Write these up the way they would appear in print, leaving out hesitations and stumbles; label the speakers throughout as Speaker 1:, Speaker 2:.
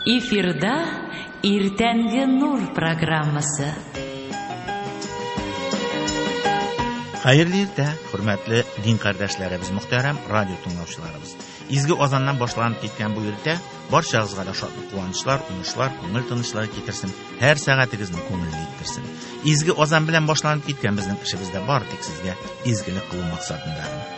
Speaker 1: Эфирда Иртәнге Нур программасы.
Speaker 2: Хәерле иртә, хөрмәтле дин кардәшләребез, мөхтәрәм радио тыңлаучыларыбыз. Изге азаннан башланып киткән бу иртә барчагызга да шатлык, куанычлар, уңышлар, күңел тынычлыгы китерсен, һәр сәгатегезне күңелле иттерсен. Изге азан белән башланып киткән безнең эшебез дә бар тик сезгә изгелек кылу максатында.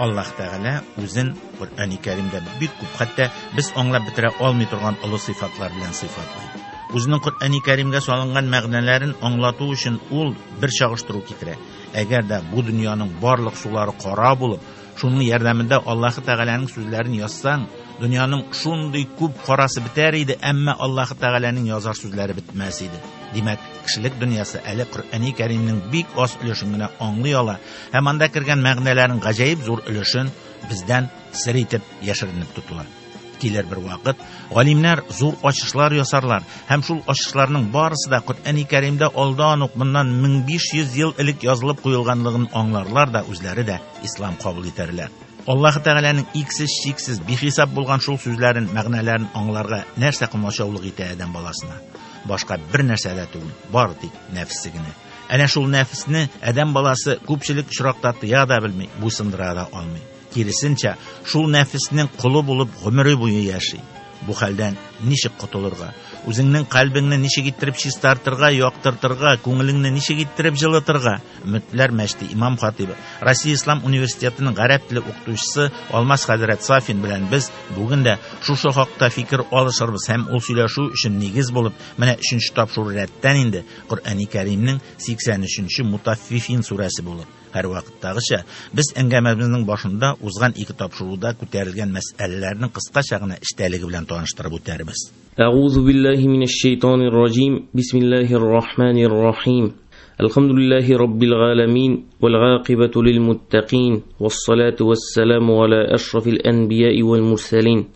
Speaker 2: Аллаһ Тәгалә үзен Коръәни Кәримдә бик күп, хәтта без аңлап бетерә алмый торган олы сыйфатлар белән сыйфатлый. Үзенең Коръәни Кәримгә салынган мәгънәләрен аңлату өчен ул бер чагыштыру китерә. Әгәр дә бу дөньяның барлык сулары кара булып, шуның ярдәмендә Аллаһ Тәгаләнең сүзләрен язсаң, дөньяның шундый күп карасы бетәр иде, әмма Аллаһ Тәгаләнең язар сүзләре бетмәс иде. Димәк, кешелек дөньясы әле Коръәни Кәримнең бик аз өлешен генә аңлый ала һәм анда кергән мәгънәләрнең гаҗәеп зур өлешен бездән сер итеп яшеренеп тотыла. Килер бер вакыт, галимнәр зур ачышлар ясарлар һәм шул ачышларның барысы да Коръәни Кәримдә алдан ук моннан 1500 ел элек язылып куелганлыгын аңларлар да үзләре дә ислам кабул итәрләр. Аллаһ Тәгаләнең иксез-чиксез бихисап булган шул сүзләрен, мәгънәләрен аңларга нәрсә комачаулык итә адәм баласына? Башка бер нәрсә дә түгел, бары тик нәфсе генә. Әнә шул нәфесне адәм баласы күпчелек очракта тыя да белми, буйсындыра да алмый. Киресенчә, шул нәфеснең колы булып гомере буе яши. Бу хәлдән ничек котылырга? Үзеңнең кальбеңне ничек иттереп чистартырга, яктыртырга, күңелеңне ничек иттереп җылытырга? Өметләр мәчете имам хатибы, Россия Ислам университетының гарәп теле укытучысы Алмаз хәзрәт Сафин белән без бүген дә шушы хакта фикер алышырбыз һәм ул сөйләшү өчен нигез булып, менә 3нче тапшыру рәттән инде Коръәни Кәримнең 83нче Мутаффифин сүрәсе булыр. Һәр вакыттагыча, без әңгәмәбезнең башында узган ике тапшыруда күтәрелгән мәсьәләләрнең кыскача гына эчтәлеге белән таныштырып үтәрбез.
Speaker 3: Әгъузу биллаһи минәш шайтанир раҗим. Бисмиллаһир рахманир рахим. Әлхәмдүлиллаһи раббил галәмин вәл гакыйбату лил муттакин вассалату вассаламу аля ашрафил анбияи вәл мурсалин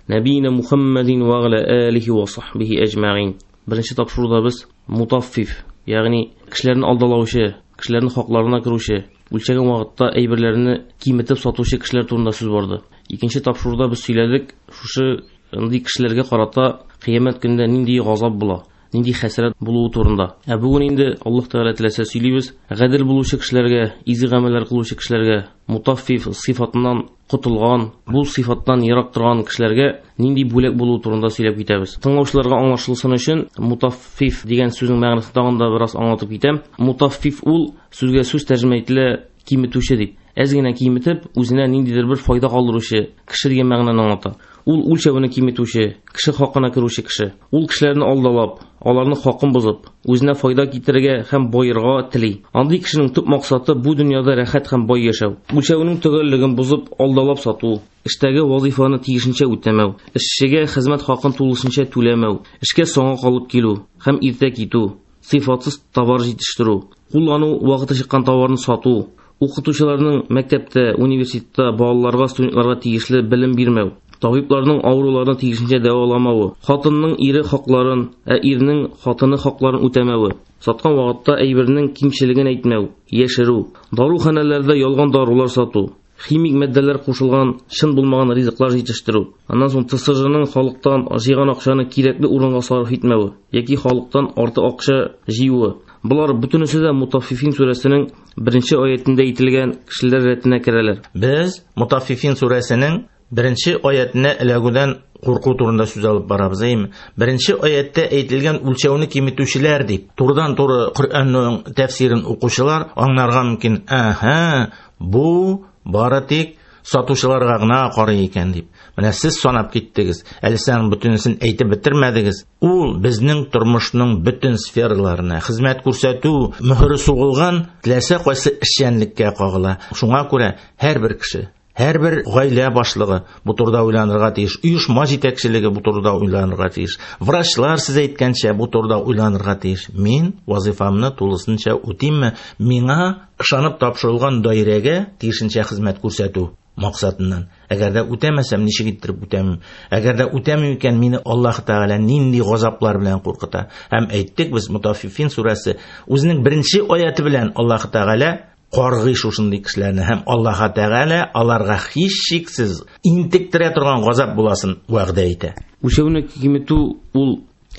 Speaker 3: набийна Мухаммадин ва аля алихи ва сахбихи әҗмәгин. Беренче тапшыруда без мутаффиф, ягъни кешеләрне алдалаучы, кешеләрнең хакларына керүче, үлчәгән вакытта әйберләрне киметеп сатучы кешеләр турында сүз барды. Икенче тапшыруда без сөйләдек, шушы андый кешеләргә карата кыямәт көнендә нинди газап була, нинди хәсрәт булуы турында. Ә бүген инде Аллаһ Тәгалә теләсә сөйлибез, гадел булучы кешеләргә, изге гамәлләр кылучы кешеләргә, мутаффиф сыйфатыннан котылган, бу сыйфаттан ерак торган кешеләргә нинди бүләк булуы турында сөйләп китәбез. Тыңлаучыларга аңлашылсын өчен мутаффиф дигән сүзнең мәгънәсен тагын да бераз аңлатып китәм. Мутаффиф ул сүзгә сүз тәрҗемә ителә киметүче дип. Әз генә киметеп, үзенә ниндидер бер файда калдыручы кеше дигән мәгънәне аңлата. Ул үлчәвен киметүче, кеше хакына керүче кеше. Ул кешеләрне алдалап, аларның хакын бозып, үзенә файда китерергә һәм байырга тели. Андый кешенең төп максаты бу дөньяда рәхәт һәм бай яшәү. Үлчәвенең төгәллеген бозып, алдалап сату, эштәге вазифаны тиешенчә үтәмәү, эшчегә хезмәт хакын тулысынча түләмәү, эшкә соңга калып килү һәм иртә китү, сыйфатсыз товар җитештерү, куллану вакыты чыккан товарны сату, укытучыларның мәктәптә, университетта балаларга, студентларга тиешле белем бирмәү, табибларның авыруларны тиешенчә дәваламавы, хатынның ире хакларын, ә ирнең хатыны хакларын үтәмәве, саткан вакытта әйбернең кимчелеген әйтмәү, яшерү, даруханәләрдә ялган дарулар сату, химик матдәләр кушылган чын булмаган ризыклар җитештерү, аннан соң ТСЖның халыктан җыйган акчаны кирәкле урынга сарыф итмәве яки халыктан артык акча җыюы. Болар бөтенесе дә Мутаффифин сүрәсенең беренче аятендә әйтелгән кешеләр рәтенә керәләр.
Speaker 2: Без Мутаффифин сүрәсенең беренче аятенә эләгүдән курку турында сүз алып барабыз, әйеме? Беренче аяттә әйтелгән үлчәүне киметүчеләр дип, турыдан-туры Коръәннең тәфсирен укучылар аңларга мөмкин. Әһә, бу бары тик сатучыларга гына карый икән дип. Менә сез санап киттегез, әле сез бөтенесен әйтеп бетермәдегез. Ул безнең тормышның бөтен сфераларына хезмәт күрсәтү мөһере сугылган теләсә кайсы эшчәнлеккә кагыла. Шуңа күрә һәрбер кеше, һәрбер гаилә башлыгы бу турыда уйланырга тиеш, оешма җитәкчелеге бу турыда уйланырга тиеш, врачлар сез әйткәнчә бу турыда уйланырга тиеш. Мин вазифамны тулысынча үтимме? Миңа ышанып тапшырылган даирәгә тиешенчә хезмәт күрсәтү максатыннан. Әгәр дә үтәмәсәм, ничек иттереп үтәмим? Әгәр дә үтәмим икән, мине Аллаһ Тәгалә нинди газаплар белән куркыта? Һәм әйттек без, Мутаффифин сүрәсе үзенең беренче аяты белән Аллаһ Тәгалә каргый шушындый кешеләрне һәм Аллаһ Тәгалә аларга һичшиксез интектерә торган газап буласын вәгъдә итә.
Speaker 3: Үлчәүне киметү ул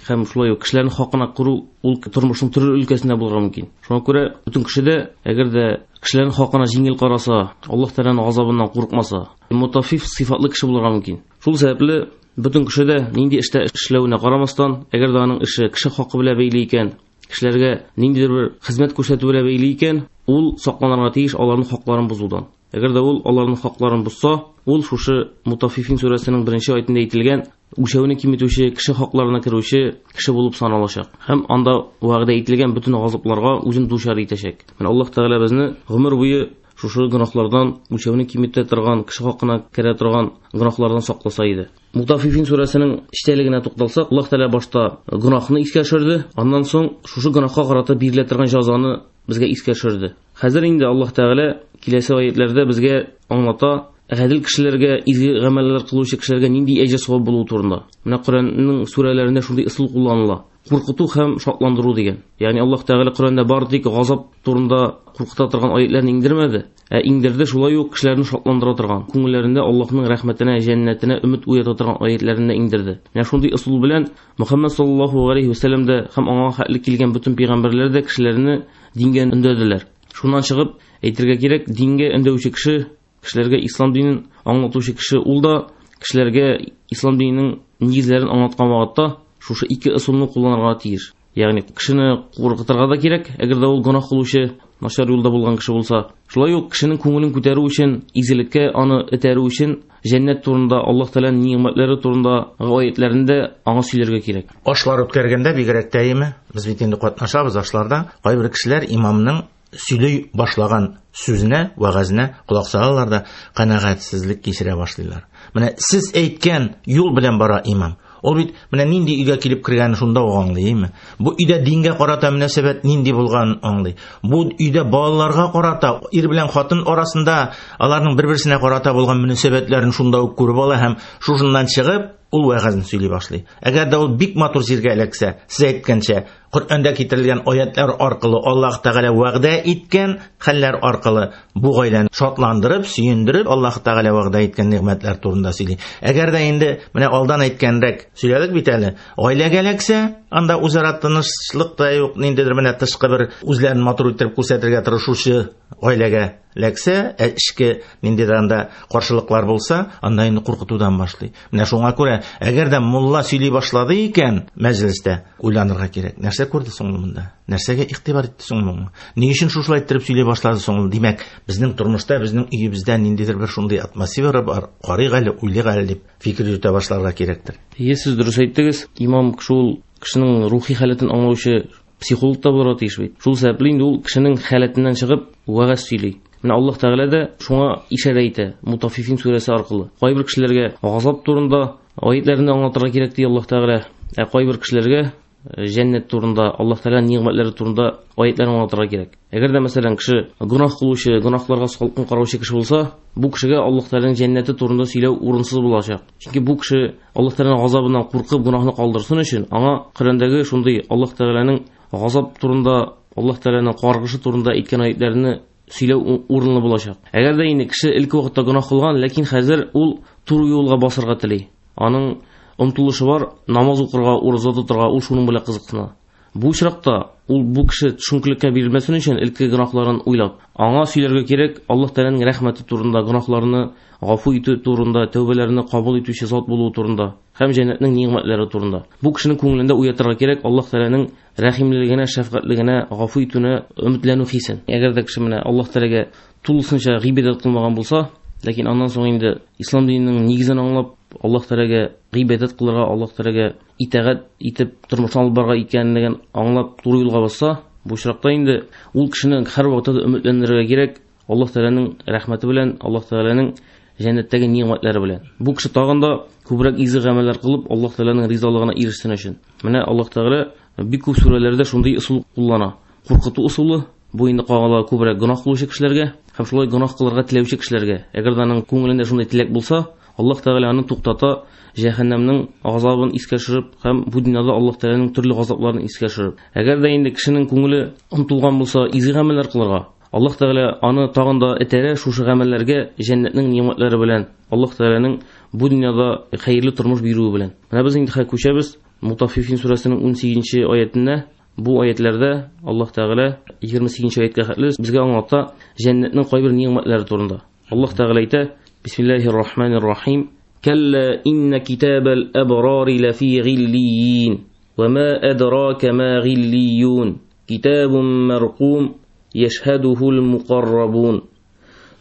Speaker 3: һәм шулай ук кешеләрнең хакына керү ул тормышның төрле өлкәсендә булырга мөмкин. Шуңа күрә бөтен кеше дә, әгәр дә кешеләрнең хакына җиңел караса, Аллаһ Тәгаләнең газабыннан курыкмаса, мутаффиф сыйфатлы кеше булырга мөмкин. Шул сәбәпле бөтен кеше дә нинди эштә эшләвенә карамастан, әгәр дә аның эше кеше хакы белән бәйле икән, кешеләргә ниндидер бер хезмәт күрсәтү белән бәйле икән, ул сакланырга тиеш аларның хакларын бозудан. Әгәр дә ул аларның хакларын бозса, ул шушы Мутаффифин сүрәсенең беренче аятында әйтелгән үлчәүне киметүче, кеше хакларына керүче кеше булып саналачак. Һәм анда вәгъдә ителгән бөтен газапларга үзен дучар итәчәк. Менә Аллаһ Тәгалә безне гомер буе шушы гөнаһлардан, үлчәүне киметә торган, кеше хакына керә торган гөнаһлардан сакласа иде. Мутаффифин сүрәсенең эчтәлегенә тукталсак, Аллаһ Тәгалә башта гөнаһны искә төшерде, аннан соң шушы гөнаһка карата бирелә торган җәзаны безгә искә төшерде. Хәзер инде Аллаһ Тәгалә киләсе аятларда безгә аңлата, гадел кешеләргә, изге гамәлләр кылучы кешеләргә нинди әҗер савап булуы турында. Менә Коръәннең сүрәләрендә шундый ысул кулланыла. Куркыту һәм шатландыру дигән. Ягъни Аллаһ Тәгалә Коръәндә бары тик газап турында куркыта торган аятларны иңдермәде, ә иңдерде шулай ук кешеләрне шатландыра торган, күңелләрендә Аллаһның рәхмәтенә, җәннәтенә өмет уята торган аятларны да иңдерде. Менә шундый ысул белән Мөхәммәд саллаллаһу алейхи ва сәлләм дә һәм аңа хәтле килгән бөтен пәйгамбәрләр дә кешеләрне дингә өндәделәр. Шуннан чыгып әйтергә кирәк, дингә өндәүче кеше, кешеләргә ислам динен аңлатучы кеше, ул да кешеләргә ислам диненең нигезләрен аңлаткан вакытта шушы ике ысулны кулланырга тиеш. Ягъни кешене куркытырга да кирәк, әгәр дә ул гөнаһ кылучы, начар юлда булган кеше булса. Шулай ук кешенең күңелен күтәрү өчен, изгелеккә аны этәрү өчен җәннәт турында, Аллаһ Тәгаләнең нигъмәтләре турында аятләрендә аңа сөйләргә кирәк.
Speaker 2: Ашлар үткәргәндә бигрәк тә име? Без бит инде катнашабыз ашларда. Кайбер кешеләр имамның сөйли башлаган сүзенә, вәгазенә колак салалар да канәгатьсезлек кичерә башлыйлар. Менә сез әйткән юл белән бара имам. Ул бит менә нинди өйгә килеп кергәнен шунда ук аңлый, әйме? Бу өйдә дингә карата мөнәсәбәт нинди булганын аңлый. Бу өйдә балаларга карата, ир белән хатын арасында аларның бер-берсенә карата булган мөнәсәбәтләрен шунда ук күреп ала һәм шушыннан чыгып ул вәгазен сөйли башлый. Әгәр дә ул бик матур җиргә эләксә, сез әйткәнчә, Коръәндә китерелгән аятлар аркылы Аллаһ Тәгалә вәгъдә иткән хәлләр аркылы бу гаиләне шатландырып, сөендереп, Аллаһ Тәгалә вәгъдә иткән нигъмәтләр турында сөйли. Әгәр дә инде менә алдан әйткәнрәк сөйләдек бит әле, гаиләгә эләксә, анда үзара тынычлык та юк, ниндидер менә тышкы бер үзләрен матур иттереп күрсәтергә тырышучы гаиләгә эләксә, эчке ниндидер анда каршылыклар булса, анда инде куркытудан башлый. Менә шуңа күрә, әгәр дә мулла сөйли башлады икән мәҗлестә, уйланырга кирәк. Нәрсә күрде соң ул монда? Нәрсәгә игътибар итте соң ул? Ни өчен шушылай иттереп сөйли башлады соң ул? Димәк, безнең тормышта, безнең өебездә ниндидер бер шундый атмосфера бар. Карыйк әле, уйлыйк әле дип фикер йөртә башларга кирәктер.
Speaker 3: Ие, сез дөрес әйттегез. Имам кеше ул кешенең рухи халәтен аңлаучы психолог та булырга тиеш бит. Шул сәбәпле инде ул кешенең халәтеннән чыгып вәгазь сөйли. Менә Аллаһ Тәгалә дә шуңа ишарә итә Мутаффифин сүрәсе аркылы. Кайбер кешеләргә газап турында аятларны аңлатырга кирәк ди Аллаһ Тәгалә. Ә кайбер кешеләргә җәннәт турында, Аллаһ Тәгаләнең нигъмәтләре турында аятларны аңлатырга кирәк. Әгәр дә мәсәлән кеше гөнаһ кылучы, гөнаһларга салкын караучы кеше булса, бу кешегә Аллаһ Тәгаләнең җәннәте турында сөйләү урынсыз булачак. Чөнки бу кеше Аллаһ Тәгаләнең газабыннан куркып гөнаһны калдырсын өчен аңа Коръәндәге шундый Аллаһ Тәгаләнең газап турында, Аллаһ Тәгаләнең каргышы турында әйткән аятларны сөйләү урынлы булачак. Әгәр дә инде кеше элек вакытта гөнаһ кылган, ләкин хәзер ул туры юлга басырга тели. Аның омтылышы бар, намаз укырга, ураза тотырга, ул шуның белән кызыксына. Бу очракта ул бу кеше төшенкелеккә бирелмәсен өчен элекке гөнаһларын уйлап, аңа сөйләргә кирәк Аллаһ Тәгаләнең рәхмәте турында, гөнаһларны гафу итү турында, тәүбәләрне кабул итүче зат булуы турында һәм җәннәтнең нигъмәтләре турында. Бу кешенең күңелендә уятырга кирәк Аллаһ Тәгаләнең рәхимлелегенә, шәфкатьлегенә, гафу итүенә өметләнү хисен. Әгәр дә кеше менә Аллаһ Тәгаләгә тулысынча гыйбадәт кылмаган булса, ләкин аннан соң инде ислам диненең нигезен аңлап, Аллаһ Тәгаләгә гыйбадәт кылырга, Аллаһ Тәгаләгә итагать итеп тормышны алып барырга икәнлеген аңлап туры юлга басса, бу очракта инде ул кешене һәр вакытта да өметләндерергә кирәк Аллаһ Тәгаләнең рәхмәте белән, Аллаһ Тәгаләнең җәннәттәге нигъмәтләре белән. Бу кеше тагын да күбрәк изге гамәлләр кылып, Аллаһ Тәгаләнең ризалыгына ирешсен өчен. Менә Аллаһ Тәгалә бик күп сүрәләрдә шундый ысул куллана. Куркыту ысулы, бу инде кагыла күбрәк гөнаһ кылучы кешеләргә һәм шулай гөнаһ кылырга теләүче кешеләргә. Әгәр дә аның күңелендә шундый теләк булса, Аллаһ Тәгалә аны туктата, җәһәннәмнең газабын искә төшереп һәм бу дөньяда Аллаһ Тәгаләнең төрле газапларын искә төшереп. Әгәр дә инде кешенең күңеле омтылган булса изге гамәлләр кылырга, Аллаһ Тәгалә аны тагын да этәрә шушы гамәлләргә җәннәтнең ни'мәтләре белән, Аллаһ Тәгаләнең бу дөньяда хәерле тормыш бирүе белән. Менә без инде хәзер күчәбез Мутаффифин сүрәсенең 18-нче аятенә. Бу аятларда Аллаһ Тәгалә 28-нче аяткә хәтле безгә аңлата җәннәтнең кайбер ни'мәтләре турында. Аллаһ Тәгалә әйтә: Бисмиллаһир-рахманир-рахим. Калла инна китабал абрари лафи гиллиин. Ва ма адрака ма гиллиюн. Китабун маркум яшһадухул мукаррабун.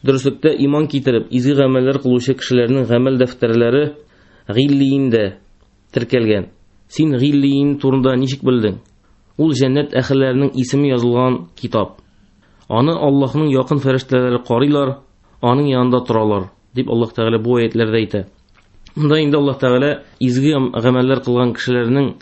Speaker 3: Дөреслектә иман китереп, изге гамәлләр кылучы кешеләрнең гамәл дәфтәрләре гиллииндә теркәлгән. Син гиллиин турында ничек белдең? Ул җәннәт әһелләренең исеме язылган китап. Аны Аллаһның якын фәрештәләре карыйлар, аның янында торалар, дип Аллаһ Тәгалә бу аятләрдә әйтә. Монда инде Аллаһ Тәгалә изге гамәлләр кылган кешеләрнең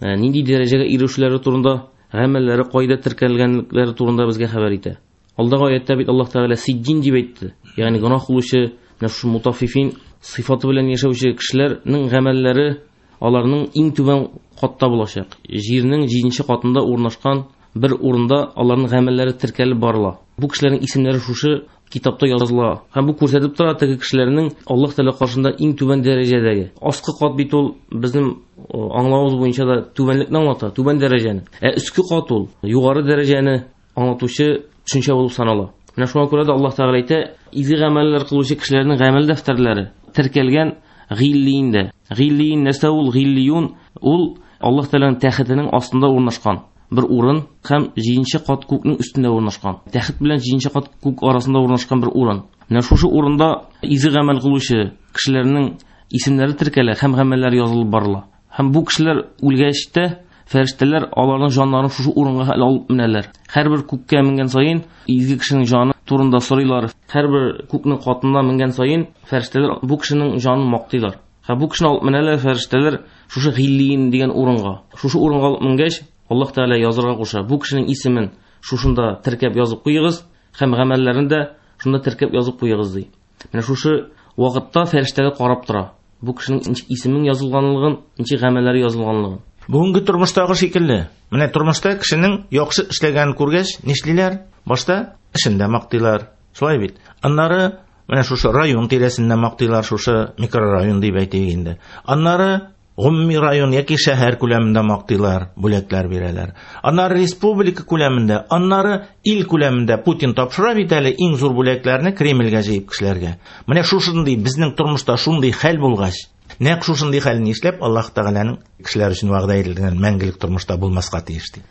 Speaker 3: нинди дәрәҗәгә ирешүләре турында, гамәлләре кайда теркәлгәнлекләре турында безгә хәбәр итә. Алдагы аятта бит Аллаһ Тәгалә сиджин дип әйтте. Ягъни гөнаһ кылучы, менә шушы мутаффифин сыйфаты белән яшәүче кешеләрнең гамәлләре аларның иң түбән катта булачак. Җирнең 7-нче катында урнашкан бер урында аларның гамәлләре теркәлеп барыла. Бу кешеләрнең исемнәре шушы китапта языла. Һәм бу күрсәтеп тора теге кешеләрнең Аллаһ Тәгалә каршында иң түбән дәрәҗәдәге. Аскы кат бит ул безнең аңлавыбыз буенча да түбәнлекне аңлата, түбән дәрәҗәне. Ә өске кат ул югары дәрәҗәне аңлатучы төшенчә булып санала. Менә шуңа күрә дә Аллаһ Тәгалә әйтә, изге гамәлләр кылучы кешеләрнең гамәл дәфтәрләре теркәлгән гиллииндә. Гиллиин нәрсә ул? Гиллиюн ул Аллаһ Тәгаләнең тәхетенең астында урнашкан бер урын һәм 7-нче кат күкнең өстендә урнашкан. Тәхет белән 7-нче кат күк арасында урнашкан бер урын. Менә шушы урында изге гамәл кылучы кешеләрнең исемнәре теркәлә һәм гамәлләре язылып барыла. Һәм бу кешеләр үлгәч тә фәрештәләр аларның җаннарын шушы урынга алып менәләр. Һәрбер күккә менгән саен изге кешенең җаны турында сорыйлар. Һәрбер күкнең катына менгән саен фәрештәләр бу кешенең җанын мактыйлар. Һәм бу кешене алып менәләр фәрештәләр шушы гиллиин дигән урынга. Шушы урынга алып менгәч, Аллаһ Тәгалә язырга куша. Бу кешенең исемен шушында теркәп язып куегыз һәм гамәлләрен дә шунда теркәп язып куегыз ди. Менә шушы вакытта фәрештәләр карап тора. Бу кешенең ничек исемен язылганлыгын, ничек гамәлләре язылганлыгын.
Speaker 2: Бүгенге тормыштагы шикелле. Менә тормышта кешенең яхшы эшләгәнен күргәч, нишлиләр? Башта эшендә мактыйлар. Шулай бит. Аннары менә шушы район тирәсендә мактыйлар, шушы микрорайон дип әйтик инде. Аннары гомуми район яки шәһәр күләмендә мактыйлар, бүләкләр бирәләр. Аннары республика күләмендә, аннары ил күләмендә Путин тапшыра бит әле иң зур бүләкләрне Кремльгә җыеп кешеләргә. Менә шушындый безнең тормышта шундый хәл булгач, нәкъ шушындый хәлне нишләп Аллаһ Тәгаләнең кешеләр өчен вәгъдә ителгән мәңгелек тормышта булмаска тиеш ди.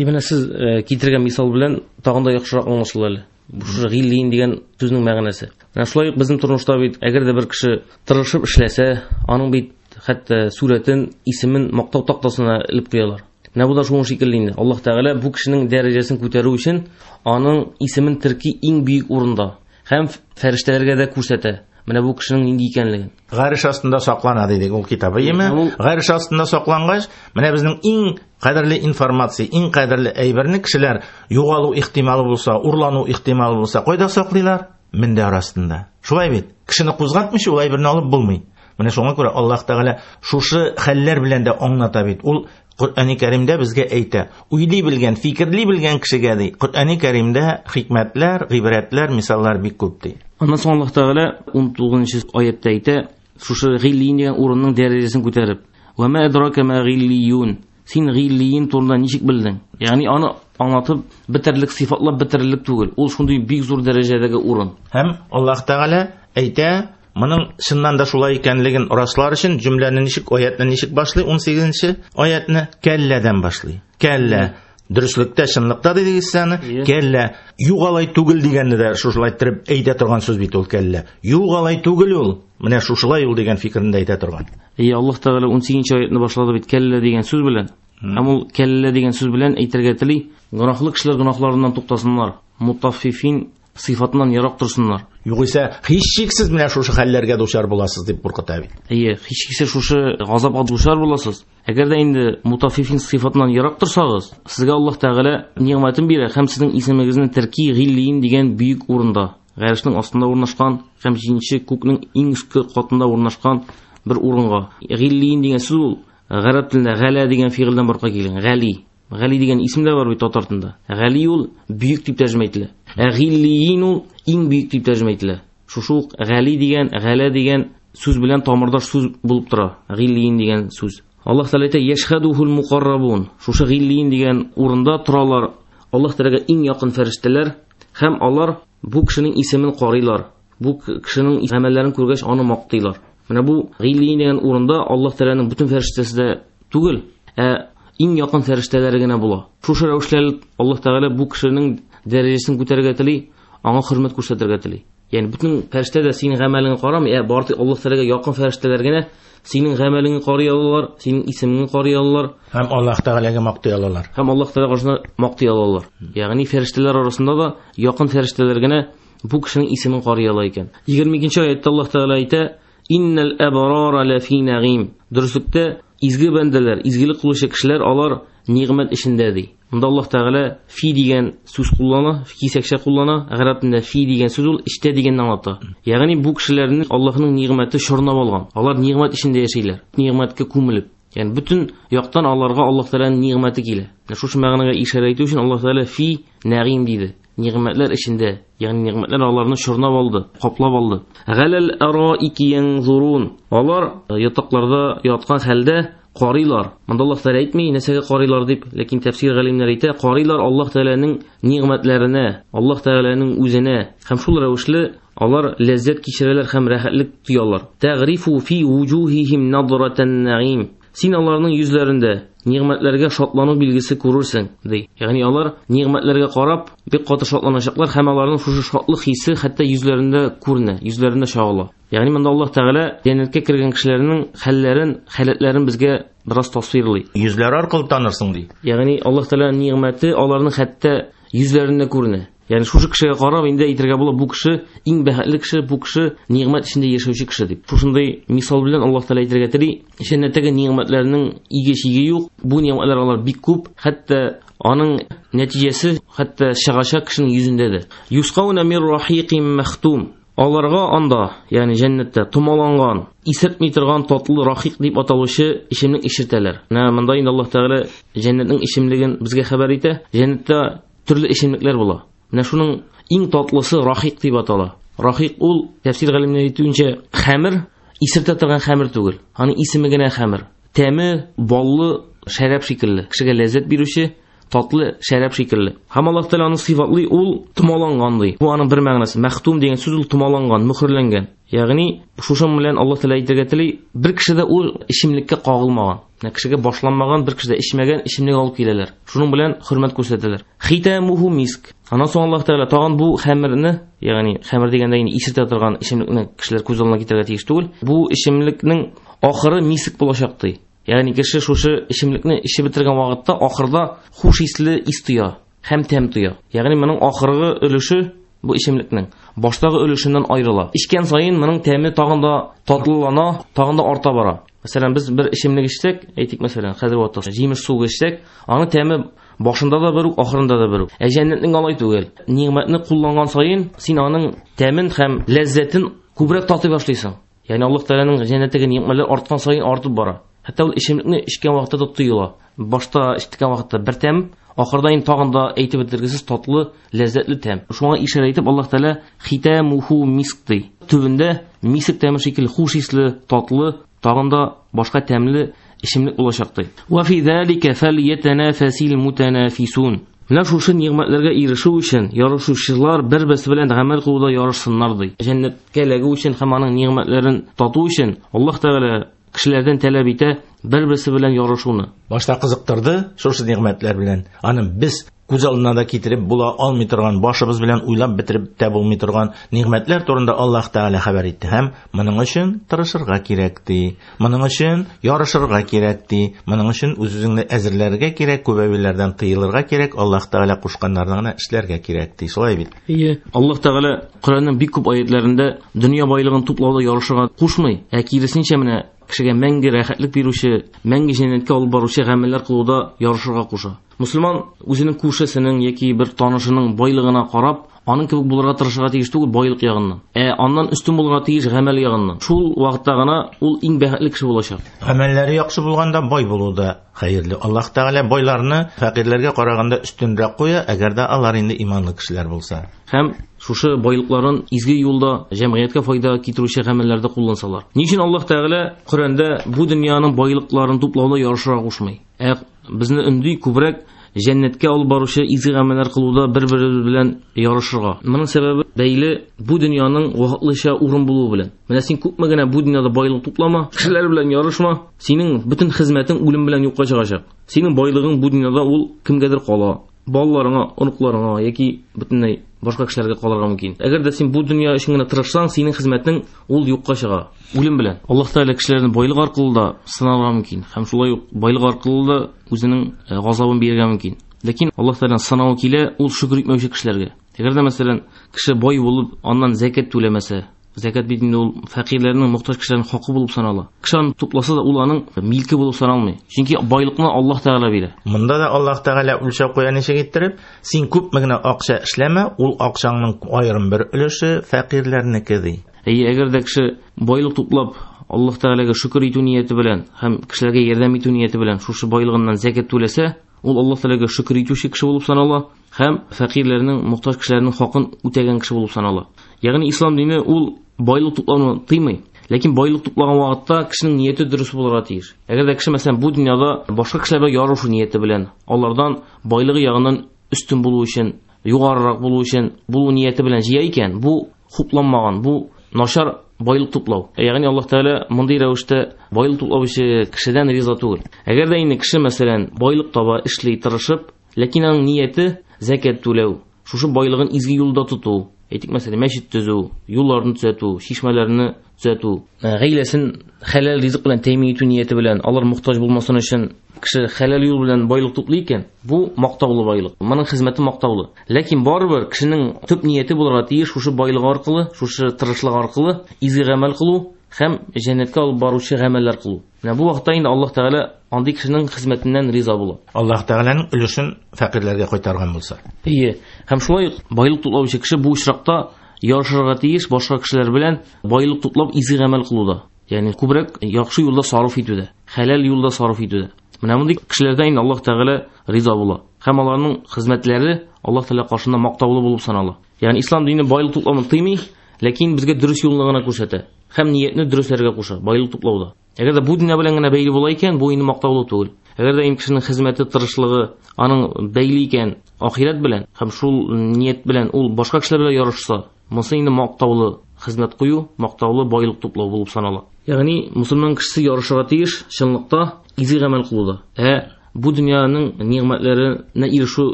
Speaker 3: Менә сез китергән мисал белән тагын да яхшырак аңлашыла әле. Шушы гиллиин дигән сүзнең мәгънәсе. Менә шулай ук безнең тормышта бит әгәр дә бер кеше тырышып эшләсә, аның бит хәтта сурәтен, исемен мактау тактасына элеп куялар. Менә бу да шуның шикелле инде. Аллаһ Тәгалә бу кешенең дәрәҗәсен күтәрү өчен аның исемен терки иң бөек урында һәм фәрештәләргә дә күрсәтә. Менә бу кешенең нинди икәнлеген.
Speaker 2: Гареш астында саклана дидек ул китабы, әйеме? Гареш астында саклангач, менә безнең иң кадерле информация, иң кадерле әйберне кешеләр югалу ихтималы булса, урлану ихтималы булса, кайда саклыйлар? Мендәр астында. Шулай бит. Кешене кузгатмыйча ул әйберне алып булмый. Менә шуңа күрә Аллаһ Тәгалә шушы хәлләр белән дә аңлата бит. Ул Коръәни Кәримдә безгә әйтә, уйлый белгән, фикерли белгән кешегә ди. Коръәни Кәримдә хикмәтләр, гыйбрәтләр, мисаллар бик күп ди.
Speaker 3: Аннан соң Аллаһ Тәгалә 19-нчы аятта әйтә, шушы гиллиин дигән урынның дәрәҗәсен күтәреп, "Ва ма адрака ма гиллиюн?" Син гиллиин турында ничек белдең? Ягъни аны аңлатып бетерлек, сыйфатлап бетерерлек түгел. Ул шундый бик зур дәрәҗәдәге урын.
Speaker 2: Һәм Аллаһ Тәгалә әйтә, моның чыннан да шулай икәнлеген раслар өчен җөмләне ничек, аятны ничек башлый? 18-нче аятны кәлләдән башлый. Кәллә. Дөреслектә, чынлыкта дидегез сез аны. Кәллә. Юк алай түгел дигәнне дә шушылай иттереп әйтә торган сүз бит ул кәллә. Юк алай түгел ул. Менә шушылай ул дигән фикерне дә әйтә торган.
Speaker 3: Аллаһ Тәгалә 18-нче аятны башлады бит кәллә дигән сүз белән. Һәм ул кәллә дигән сүз белән әйтергә тели, гөнаһлы кешеләр гөнаһларыннан туктасыннар, мутаффифин сыйфатыннан ерак торсыннар.
Speaker 2: Югыйсә, һичшиксез менә шушы хәлләргә дучар буласыз дип куркыта бит.
Speaker 3: Әйе, һичшиксез шушы газапка дучар буласыз. Әгәр дә инде мутаффифин сыйфатыннан ерак торсагыз, сезгә Аллаһ Тәгалә ни'мәтен бирә һәм сезнең исемегезне терки гиллиин дигән бөек урында, гарешнең астында урнашкан һәм җиденче күкнең иң өске катында урнашкан бер урынга. Гиллиин дигән сүз ул гарәп телендә галә дигән фигыльдән барлыкка килгән. Гали. Гали дигән исем дә бар бит татар телендә. Гали ул бөек дип тәрҗемә ителә. Ә гиллиин ул иң бөек дип тәрҗемә ителә. Шушы ук гали дигән, галә дигән сүз белән тамырдаш сүз булып тора. Гиллиин дигән сүз. Аллаһ Тәгалә әйтә: "Яшһадухул мукаррабун". Шушы гиллиин дигән урында торалар Аллаһ Тәгаләгә иң якын фәрештәләр һәм алар бу кешенең исемен карыйлар. Бу кешенең гамәлләрен күргәч аны мактыйлар. Менә бу гиллиин дигән урында Аллаһ Тәгаләнең бөтен фәрештәсе дә түгел, ә иң якын фәрештәләре генә була. Шушы рәвешле Аллаһ Тәгалә бу кешенең дәрәҗәсен күтәрергә тели, аңа хөрмәт күрсәтергә тели. Ягъни бөтен фәрештә дә синең гамәлеңне карамый, ә бары тик Аллаһ Тәгаләгә якын фәрештәләр генә синең гамәлеңне карый алалар, синең исемеңне карый алалар
Speaker 2: һәм Аллаһ Тәгаләгә мактый алалар.
Speaker 3: Һәм Аллаһ Тәгалә каршында мактый алалар. Ягъни фәрештәләр арасында да якын фәрештәләр генә бу кешенең исемен карый ала икән. 22 аятта Аллаһ Тәгалә әйтә: "Иннал абрара лафи нагим". Дөреслектә изге бәндәләр, изгелек кылучы кешеләр алар нигъмәт эчендә ди. Монда Аллаһ Тәгалә фи дигән сүз куллана, кисәкчә куллана. Гарәп телендә фи дигән сүз ул эчтә дигәнне аңлата. Ягъни бу кешеләрне Аллаһның нигъмәте чорнап алган. Алар нигъмәт эчендә яшиләр. Нигъмәткә күмелеп. Ягъни бөтен яктан аларга Аллаһ Тәгаләнең нигъмәте килә. Шушы мәгънәгә ишарә итү өчен Аллаһ Тәгалә фи нәгыйм диде. Нигъмәтләр эчендә, ягъни нигъмәтләр аларны чорнап алды, каплап алды. Галал араики янзурун. Алар ятакларда яткан хәлдә карыйлар. Монда Аллаһ Тәгалә әйтми, нәрсәгә карыйлар дип, ләкин тәфсир галимнәре әйтә, карыйлар Аллаһ Тәгаләнең нигъмәтләренә, Аллаһ Тәгаләнең үзенә. Һәм шул рәвешле алар ләззәт кичерәләр һәм рәхәтлек тоялар. Тәгрифу фи вуҗухихим надратан нәгыйм. Син аларның йөзләрендә нигъмәтләргә шатлану билгесе күрерсең, ди. Ягъни алар нигъмәтләргә карап бик каты шатланачаклар һәм аларның шушы шатлык хисе хәтта йөзләрендә күренә, йөзләрендә чагыла. Ягъни монда Аллаһ Тәгалә җәннәткә кергән кешеләрнең хәлләрен, халәтләрен безгә бераз тасвирлый.
Speaker 2: Йөзләре аркылы танырсың, ди.
Speaker 3: Ягъни Аллаһ Тәгаләнең нигъмәте аларның хәтта йөзләрендә күренә. Ягъни шушы кешегә карап инде әйтергә була, бу кеше иң бәхетле кеше, бу кеше нигъмәт эчендә яшәүче кеше дип. Шушындый мисал белән Аллаһ Тәгалә әйтергә тели, җәннәттәге нигъмәтләрнең иге-чиге юк. Бу нигъмәтләр алар бик күп, хәтта аның нәтиҗәсе хәтта чыгачак кешенең йөзендә дә. Юсқауна мир рахиқим махтум. Аларга анда, ягъни җәннәттә томаланган, исертми торган татлы рахиқ дип аталучы эчемлек эчертәләр. Менә монда инде Аллаһ Тәгалә җәннәтнең эчемлеген безгә хәбәр итә. Җәннәттә төрле эчемлекләр була. Менә шуның иң татлысы рахиқ дип атала. Рахиқ ул тәфсир галимнәре әйтүенчә хәмер, исертә торган хәмер түгел. Аның исеме генә хәмер. Тәме баллы шәраб шикелле, кешегә ләззәт бирүче татлы шәраб шикелле. Һәм Аллаһ Тәгалә аны сыйфатлый, ул томаланган ди. Бу аның бер мәгънәсе. Мәхтум дигән сүз ул томаланган, мөхерләнгән. Ягъни шушың белән Аллаһ Тәгалә әйтергә тели, бер кеше дә ул эчемлеккә кагылмаган. Менә кешегә башланмаган, бер кеше дә эчмәгән эчемлек алып киләләр. Шуның белән хөрмәт күрсәтәләр. Хитамуху миск. Аннан соң Аллаһ Тәгалә тагын бу хәмерне, ягъни хәмер дигәндә инде исертә торган эчемлекне кешеләр күз алдына китерергә тиеш түгел. Бу эчемлекнең ахыры миск булачак ди. Ягъни кеше шушы эчемлекне эчеп бетергән вакытта ахырда хуш исле ис тоя һәм тәм тоя. Ягъни моның ахыргы өлеше бу эчемлекнең баштагы өлешеннән аерыла. Эчкән саен моның тәме тагын да татлылана, тагын да арта бара. Мәсәлән, без бер эчемлек эчсәк, әйтик, мәсәлән, хәзер вакытта җимеш суы эчсәк, аның тәме башында да бер үк, ахырында да бер үк. Ә җәннәтнең алай түгел. Нигъмәтне кулланган саен син аның тәмен һәм ләззәтен күбрәк татый башлыйсың. Ягъни Аллаһ Тәгаләнең җәннәттәге нигъмәтләр арткан саен артып бара. Хәтта ул эчемлекне эчкән вакытта да тоела. Башта эчкән вакытта бер тәм, ахырда инде тагын да әйтеп бетергесез татлы, ләззәтле тәм. Шуңа ишарә итеп Аллаһ Тәгалә хитамуху миск ди. Төбендә миск тәме шикелле хуш исле, татлы, тагын да башка тәмле эчемлек булачак ди. Ва фи залика фальятанафасил мутанафисун. Менә шушы нигъмәтләргә ирешү өчен ярышучылар бер-берсе белән гамәл кылуда ярышсыннар ди. Җәннәткә эләгү өчен һәм аның нигъмәтләрен тату өчен Аллаһ Тәгалә кешеләрдән таләп итә бер-берсе белән ярышуны.
Speaker 2: Башта кызыктырды шушы нигъмәтләр белән. Аны без күз алдына да китереп була алмый торган, башыбыз белән уйлап бетереп тә булмый торган нигъмәтләр турында Аллаһ Тәгалә хәбәр итте. Һәм моның өчен тырышырга кирәк ди. Моның өчен ярышырга кирәк ди. Моның өчен үз-үзеңне әзерләргә кирәк, күп әйберләрдән тыелырга кирәк, Аллаһ Тәгалә кушканнарны гына эшләргә кирәк ди. Шулай бит?
Speaker 3: Ие. Аллаһ Тәгалә Коръәннең бик күп аятларында дөнья байлыгын туплауда ярышырга кушмый, ә киресенчә менә кешегә мәңге рәхәтлек бирүче, мәңге җәннәткә алып баручы гамәлләр кылуда ярышырга куша. Мусульман үзенең күршесенең яки бер танышының байлыгына карап, аның кебек булырга тырышырга тиеш түгел байлык ягыннан. Ә аннан өстен булырга тиеш гамәл ягыннан. Шул вакытта гына ул иң бәхетле кеше булачак.
Speaker 2: Гамәлләре яхшы булганда бай булу да хәерле. Аллаһ Тәгалә байларны фәкыйрьләргә караганда өстенрәк куя, әгәр дә алар инде иманлы кешеләр булса.
Speaker 3: Һәм шушы байлыкларын изге юлда җәмгыятькә файда китерүче гамәлләрдә куллансалар. Ни өчен Аллаһ Тәгалә Коръәндә бу дөньяның байлыкларын туплауда ярышырга кушмый? Ә безне өнди күбрәк җәннәткә алып баручы изге гамәлләр кылуда бер-беребез белән ярышырга. Моның сәбәбе бәйле бу дөньяның вакытлыча урын булуы белән. Менә син күпме генә бу дөньяда байлык туплама, кешеләр белән ярышма, синең бөтен хезмәтең үлем белән юкка чыгачак. Синең байлыгың бу дөньяда ул кемгәдер кала. Балаларыңа, оныкларыңа яки бөтенләй башка кешеләргә калырга мөмкин. Әгәр дә син бу дөнья өчен генә тырышсаң, синең хезмәтең ул юкка чыга. Үлем белән. Аллаһ Тәгалә кешеләрне байлык аркылы да сынарга мөмкин. Һәм шулай ук байлык аркылы да үзенең газабын бирергә мөмкин. Ләкин Аллаһ Тәгаләнең сынавы килә ул шөкер итмәүче кешеләргә. Әгәр дә мәсәлән кеше бай булып, аннан зәкят түләмәсә, зәкят бит инде ул фәкыйрьләрнең, мохтаҗ кешеләрнең хакы булып санала. Кеше аны тупласа да ул аның милке булып саналмый. Чөнки байлыкны Аллаһ Тәгалә бирә.
Speaker 2: Монда да Аллаһ Тәгалә үлчәп куя ничек иттереп, син күпме генә акча эшләмә, ул акчаңның аерым бер өлеше фәкыйрьләрнеке ди.
Speaker 3: Әйе, әгәр дә кеше байлык туплап, Аллаһ Тәгаләгә шөкер итү нияте белән һәм кешеләргә ярдәм итү нияте белән шушы байлыгыннан зәкят түләсә, ул Аллаһ Тәгаләгә шөкер итүче кеше булып санала һәм фәкыйрьләрнең, мохтаҗ кешеләрнең хакын үтәгән кеше булып санала. Ягъни ислам дине ул байлык туплауны тыймый. Ләкин байлык туплаган вакытта кешенең нияте дөрес булырга тиеш. Әгәр дә кеше мәсәлән бу дөньяда башка кешеләр белән ярышу нияте белән, алардан байлыгы ягыннан өстен булу өчен, югарырак булу өчен булу нияте белән җыя икән, бу хупламаган, бу начар байлык туплау. Ягъни Аллаһ Тәгалә мондый рәвештә байлык туплаучы кешедән риза түгел. Әгәр дә инде кеше мәсәлән байлык таба, эшли, тырышып, ләкин аның нияте зәкят түләү, шушы байлыгын изге юлда тоту, әйтик мәсәлән мәчет төзү, юлларны төзәтү, чишмәләрне төзәтү, гаиләсен хәләл ризык белән тәэмин итү нияте белән, алар мохтаҗ булмасын өчен кеше хәләл юл белән байлык туплый икән, бу мактаулы байлык. Моның хезмәте мактаулы. Ләкин барыбер кешенең төп нияте булырга тиеш шушы байлык аркылы, шушы тырышлык аркылы изге гамәл кылу һәм җәннәткә алып баручы гамәлләр кылу. Менә бу вакытта инде Аллаһ Тәгалә андый кешенең хезмәтеннән риза була.
Speaker 2: Аллаһ Тәгаләнең өлешен фәкыйрьләргә кайтарган булса.
Speaker 3: Әйе, һәм шулай ук байлык туплаучы кеше бу очракта ярышырга тиеш башка кешеләр белән байлык туплап изге гамәл кылуда. Ягъни күбрәк яхшы юлда сарыф итүдә, хәләл юлда сарыф итүдә. Менә мондый кешеләрдән инде Аллаһ Тәгалә риза була. Һәм аларның хезмәтләре Аллаһ Тәгалә каршында мактаулы булып санала. Ягъни ислам дине байлык туплауны тыймый, ләкин безгә дөрес юлны гына күрсәтә. Һәм ниятне дөресләргә куша, байлык туплауда. Әгәр дә бу дөнья белән генә бәйле була икән, бу инде мактаулы түгел. Әгәр дә инде кешенең хезмәте, тырышлыгы аның бәйле икән ахирәт белән һәм шул ният белән ул башка кешеләр белән ярышса, монысы инде мактаулы хезмәт кую, мактаулы байлык туплау булып санала. Ягъни мусульман кешесе ярышырга тиеш чынлыкта изге гамәл кылуда. Ә бу дөньяның нигъмәтләренә ирешү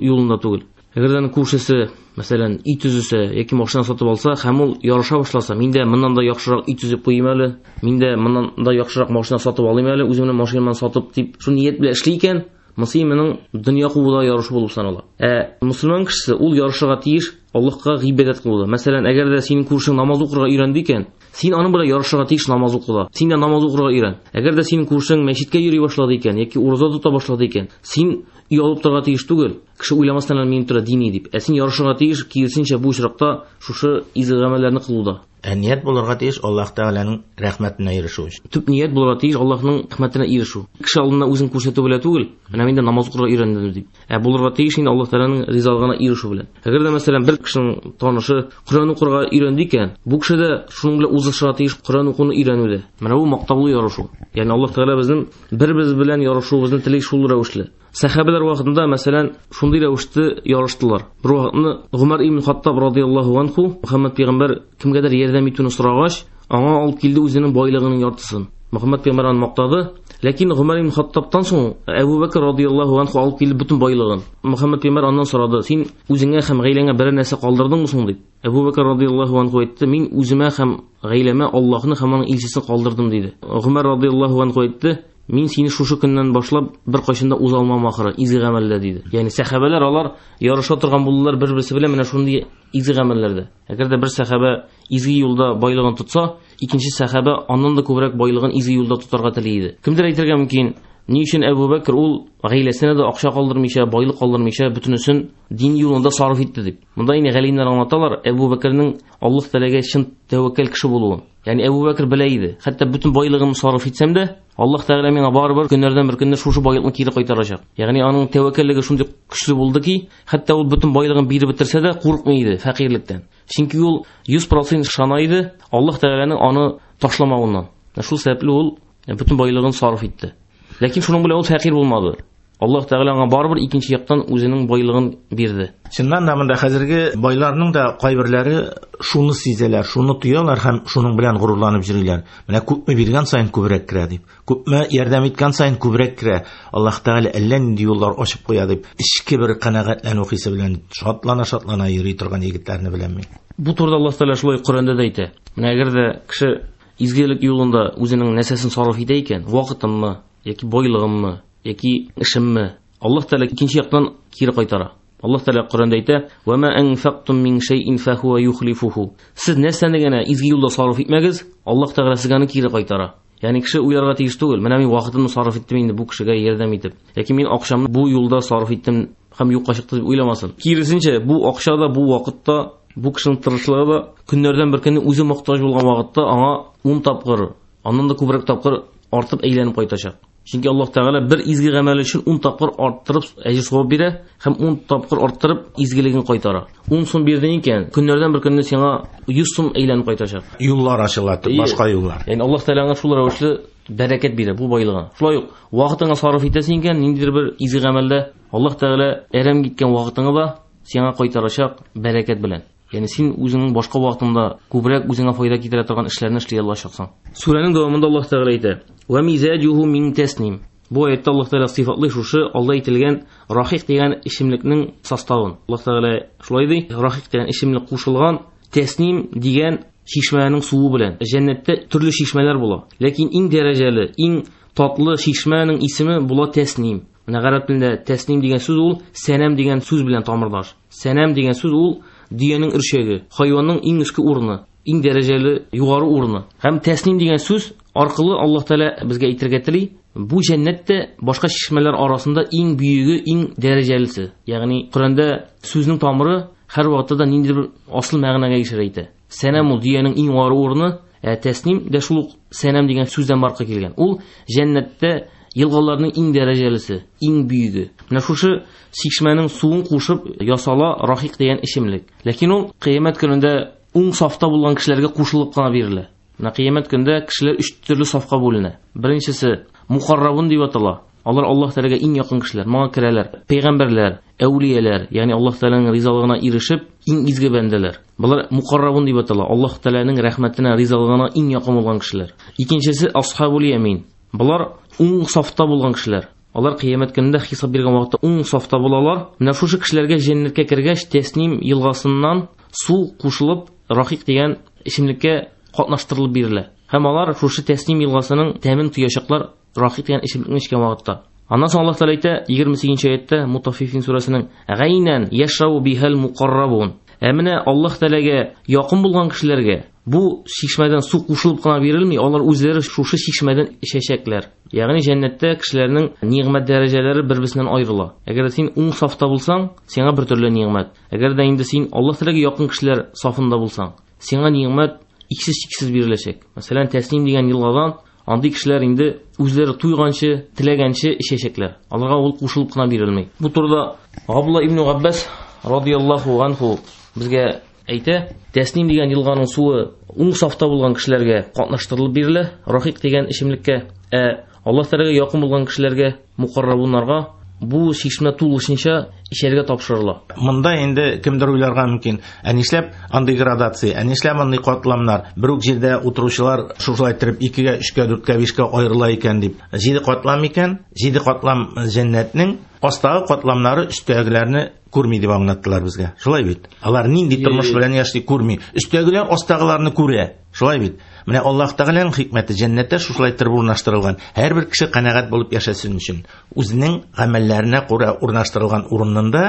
Speaker 3: юлында түгел. Әгәр дә күршесе, мәсәлән, өй төзесә яки машина сатып алса һәм ул ярыша башласа, мин дә моннан да яхшырак өй төзеп куйыйм әле, мин дә моннан да яхшырак машина сатып алыйм әле, үземнең машинамны сатып дип, шул ният белән эшли икән, монысы моның дөнья кууда ярышу булып санала. Ә мусульман кешесе ул ярышырга тиеш Аллаһка гыйбадәт кылуда. Мәсәлән, әгәр дә синең күршең намаз укырга өйрәнде икән, син аның белән ярышырга тиеш намаз укуда. Син дә намаз укырга өйрән. Әгәр дә синең күршең мәчеткә йөри башлады икән яки ураза тота башлады икән, син өй алып торырга тиеш түгел. Кеше уйламастан әле минем тора дини дип. Ә син ярышырга тиеш, киресенчә бу очракта шушы изге гамәлләрне кылуда.
Speaker 2: Ә ният булырга тиеш Аллаһ Тәгаләнең рәхмәтенә ирешү өчен.
Speaker 3: Төп ният булырга тиеш Аллаһның рәхмәтенә ирешү. Кеше алдында үзен күрсәтү белән түгел, менә мин дә намаз укырга өйрәндем дип. Ә булырга тиеш инде Аллаһ Тәгаләнең ризалыгына ирешү белән. Әгәр дә мәсәлән бер кешенең танышы Коръән укырга өйрәнде икән, бу кеше дә шуның белән узышырга тиеш Коръән укуны өйрәнүдә. Менә бу мактаулы ярышу. Ягъни Аллаһ Тәгалә безнең бер-беребез белән ярышуыбызны тели шул рәвешле. Сәхабәләр вакытында мәсәлән шундый рәвештә ярыштылар. Бер вакытны Гомәр ибн Хаттаб радияллаһу анху Мөхәммәд пәйгамбәр кемгәдер ярдәм итүне сорагач, аңа алып килде үзенең байлыгының яртысын. Мөхәммәд пәйгамбәр аны мактады, ләкин Гомәр ибн Хаттабтан соң Әбу Бәкр радияллаһу анху алып килде бөтен байлыгын. Мөхәммәд пәйгамбәр аннан сорады: "Син үзеңә һәм гаиләңә берәр нәрсә калдырдыңмы соң?" дип. Әбу Бәкр радияллаһу анху әйтте: "Мин үземә һәм гаиләмә Аллаһны һәм аның илчесен калдырдым" диде. Гомәр радияллаһу анху әйтте: "Мин сине шушы көннән башлап бер кайчан да уза алмам ахыры, изге гамәлләр" диде. Ягъни сәхабәләр алар ярыша торган булдылар бер-берсе белән менә шундый изге гамәлләрдә. Әгәр дә бер сәхабә изге юлда байлыгын тотса, икенче сәхабә аннан да күбрәк байлыгын изге юлда тотарга тели иде. Кемдер әйтергә мөмкин, Ни өчен Әбу Бәкр ул гаиләсенә дә акча калдырмыйча, байлык калдырмыйча бөтенесен дин юлында сарыф итте дип. Монда инде галимнәр аңлаталар Әбу Бәкрнең Аллаһ Тәгаләгә чын тәвәккәл кеше булуын. Ягъни Әбу Бәкр белә иде, хәтта бөтен байлыгымны сарыф итсәм дә, Аллаһ Тәгалә миңа барыбер көннәрдән бер көнне шушы байлыкны кире кайтарачак. Ягъни аның тәвәккәллеге шундый көчле булды ки, хәтта ул бөтен байлыгын биреп бетерсә дә курыкмый иде фәкыйрьлектән. Чөнки ул 100% ышана иде Аллаһ Тәгаләнең аны ташламавыннан. Шул сәбәпле ул бөтен байлыгын сарыф итте. Ләкин шуның белән ул фәкыйрь булмады. Аллаһ Тәгалә аңа барыбер икенче яктан үзенең байлыгын бирде.
Speaker 2: Чыннан да монда хәзерге байларның да кайберләре шуны сизәләр, шуны тоялар һәм шуның белән горурланып йөриләр. Менә күпме биргән саен күбрәк керә дип, күпме ярдәм иткән саен күбрәк керә. Аллаһ Тәгалә әллә нинди юллар ачып куя дип, эчке бер канәгатьләнү хисе белән шатлана-шатлана йөри торган егетләрне беләм мин.
Speaker 3: Бу турыда Аллаһ Тәгалә шулай Коръәндә дә әйтә. Менә әгәр дә кеше изгелек юлында үзенең нәрсәсен сарыф итә икән, вакытынмы, яки байлыгынмы, яки эшемме, Аллаһ Тәгалә икенче яктан кире кайтара. Аллаһ Тәгалә Коръәндә әйтә: "Ва ма анфактум мин шәйин фахуа юхлифуху". Сез нәрсәне генә изге юлда сарыф итмәгез, Аллаһ Тәгалә сезгә аны кире кайтара. Ягъни кеше уйларга тиеш түгел, менә мин вакытымны сарыф иттем инде бу кешегә ярдәм итеп, яки мин акчамны бу юлда сарыф иттем һәм юкка чыкты дип уйламасын. Киресенчә, бу акча да, бу вакытта, бу кешенең тырышлыгы да көннәрдән бер көнне үзе мохтаҗ булган вакытта аңа 10 тапкыр, аннан да күбрәк тапкыр артып әйләнеп кайтачак. Чөнки Аллаһ Тәгалә бер изге гамәл өчен 10 тапкыр арттырып әҗер савап бирә һәм 10 тапкыр арттырып изгелеген кайтара. 10 сум бирдең икән, көннәрдән бер көнне сиңа 100 сум әйләнеп кайтачак.
Speaker 2: Юллар ачыла, башка юллар.
Speaker 3: Ягъни Аллаһ Тәгалә аңа шул рәвешле бәрәкәт бирә бу байлыгына. Шулай ук вакытыңа сарыф итәсең икән, ниндидер бер изге гамәлдә Аллаһ Тәгалә әрәм киткән вакытыңы да сиңа кайтарачак бәрәкәт белән. Ягъни син үзеңнең башка вакытыңда күбрәк үзеңә файда китерә торган эшләрне эшли алачаксың. Сүрәнең дәвамында Аллаһ Тәгалә әйтә: "Ва мизаҗуху мин тасним". Бу аятта Аллаһ Тәгалә сыйфатлый шушы алда әйтелгән рахик дигән эчемлекнең составын. Аллаһ Тәгалә шулай ди: рахик дигән эчемлек кушылган тасним дигән чишмәнең суы белән. Җәннәттә төрле чишмәләр була. Ләкин иң дәрәҗәле, иң татлы чишмәнең исеме була тасним. Менә гарәп телендә тасним дигән сүз ул сәнәм дигән сүз белән тамырлаш. Сәнәм дигән сүз ул дөянең өрчәге, хайванның иң өске урыны, иң дәрәҗәле югары урыны. Һәм тасним дигән сүз аркылы Аллаһ Тәгалә безгә әйтергә тели, бу җәннәттә башка чишмәләр арасында иң бөеге, иң дәрәҗәлесе. Ягъни Коръәндә сүзнең тамыры һәр вакытта да ниндидер бер асыл мәгънәгә ишарә итә. Сәнәм ул дөянең иң югары урыны, ә тасним дә шул ук сәнәм дигән сүздән барка килгән. Ул җәннәттә елгаларның иң дәрәҗәлесе, иң бөеге. Менә шушы чишмәнең суын кушып ясала рахик дигән эчемлек. Ләкин ул кыямәт көнендә уң сафта булган кешеләргә кушылып кына бирелә. Менә кыямәт көндә кешеләр өч төрле сафка бүленә. Беренчесе мухаррабун дип атала. Алар Аллаһ Тәгаләгә иң якын кешеләр, моңа керәләр. Пәйгамбәрләр, әүлияләр, ягъни Аллаһ Тәгаләнең ризалыгына ирешеп, иң изге бәндәләр. Булар мухаррабун дип атала. Аллаһ Тәгаләнең рәхмәтенә, ризалыгына иң якын булган кешеләр. Икенчесе асхабул ямин. Булар уң сафта булган кешеләр. Алар кыямәт көнендә хисап биргән вакытта уң сафта булалар. Менә шушы кешеләргә җәннәткә кергәч, тасним елгасыннан су кушылып, рахик дигән эчемлеккә катнаштырылып бирелә. Һәм алар шушы тасним елгасының тәмен тоячаклар рахик дигән эчемлекне эчкән вакытта. Аннан соң Аллаһ Тәгалә әйтә 28 аятта Мутаффифин сүрәсенең Гайнан яшрабу бихал мукаррабун. Ә менә Аллаһ Тәгаләгә якын булган кешеләргә бу чишмәдән су кушылып кына бирелми, алар үзләре шушы чишмәдән эчәчәкләр. Ягъни җәннәттә кешеләрнең нигъмәт дәрәҗәләре бер-берсеннән аерыла. Әгәр дә син уң сафта булсаң, сиңа бер төрле нигъмәт. Әгәр дә инде син Аллаһ Тәгаләгә якын кешеләр сафында булсаң, сиңа нигъмәт иксез-чиксез биреләчәк. Мәсәлән, Тасним дигән елгадан андый кешеләр инде үзләре туйганчы, теләгәнче эчәчәкләр. Аларга ул кушылып кына бирелми. Бу турыда Габдулла ибн Габбас радияллаһу анху безгә әйтә, Тасним дигән елганың суы уң сафта булган кешеләргә катнаштырылып бирелә, рахик дигән эчемлеккә, ә Аллаһ Тәгаләгә якын булган кешеләргә, мукаррабуннарга бу чишмә тулысынча эчәргә тапшырыла.
Speaker 2: Монда инде кемдер уйларга мөмкин, ә нишләп андый градация, ә нишләп андый катламнар, бер үк җирдә утыручылар шушылай иттереп 2-гә, 3-кә, 4-кә, 5-кә аерыла икән дип. 7 катлам икән, 7 катлам җәннәтнең астагы катламнары өстәгеләрне күрми дип аңлаттылар безгә. Шулай бит. Алар нинди тормыш белән яши күрми. Өстәгеләр астагыларны күрә. Шулай бит. Менә Аллаһ Тәгаләнең хикмәте җәннәттә шушылай иттереп урнаштырылган. Һәрбер кеше канәгать булып яшәсен өчен, үзенең гамәлләренә күрә урнаштырылган урынында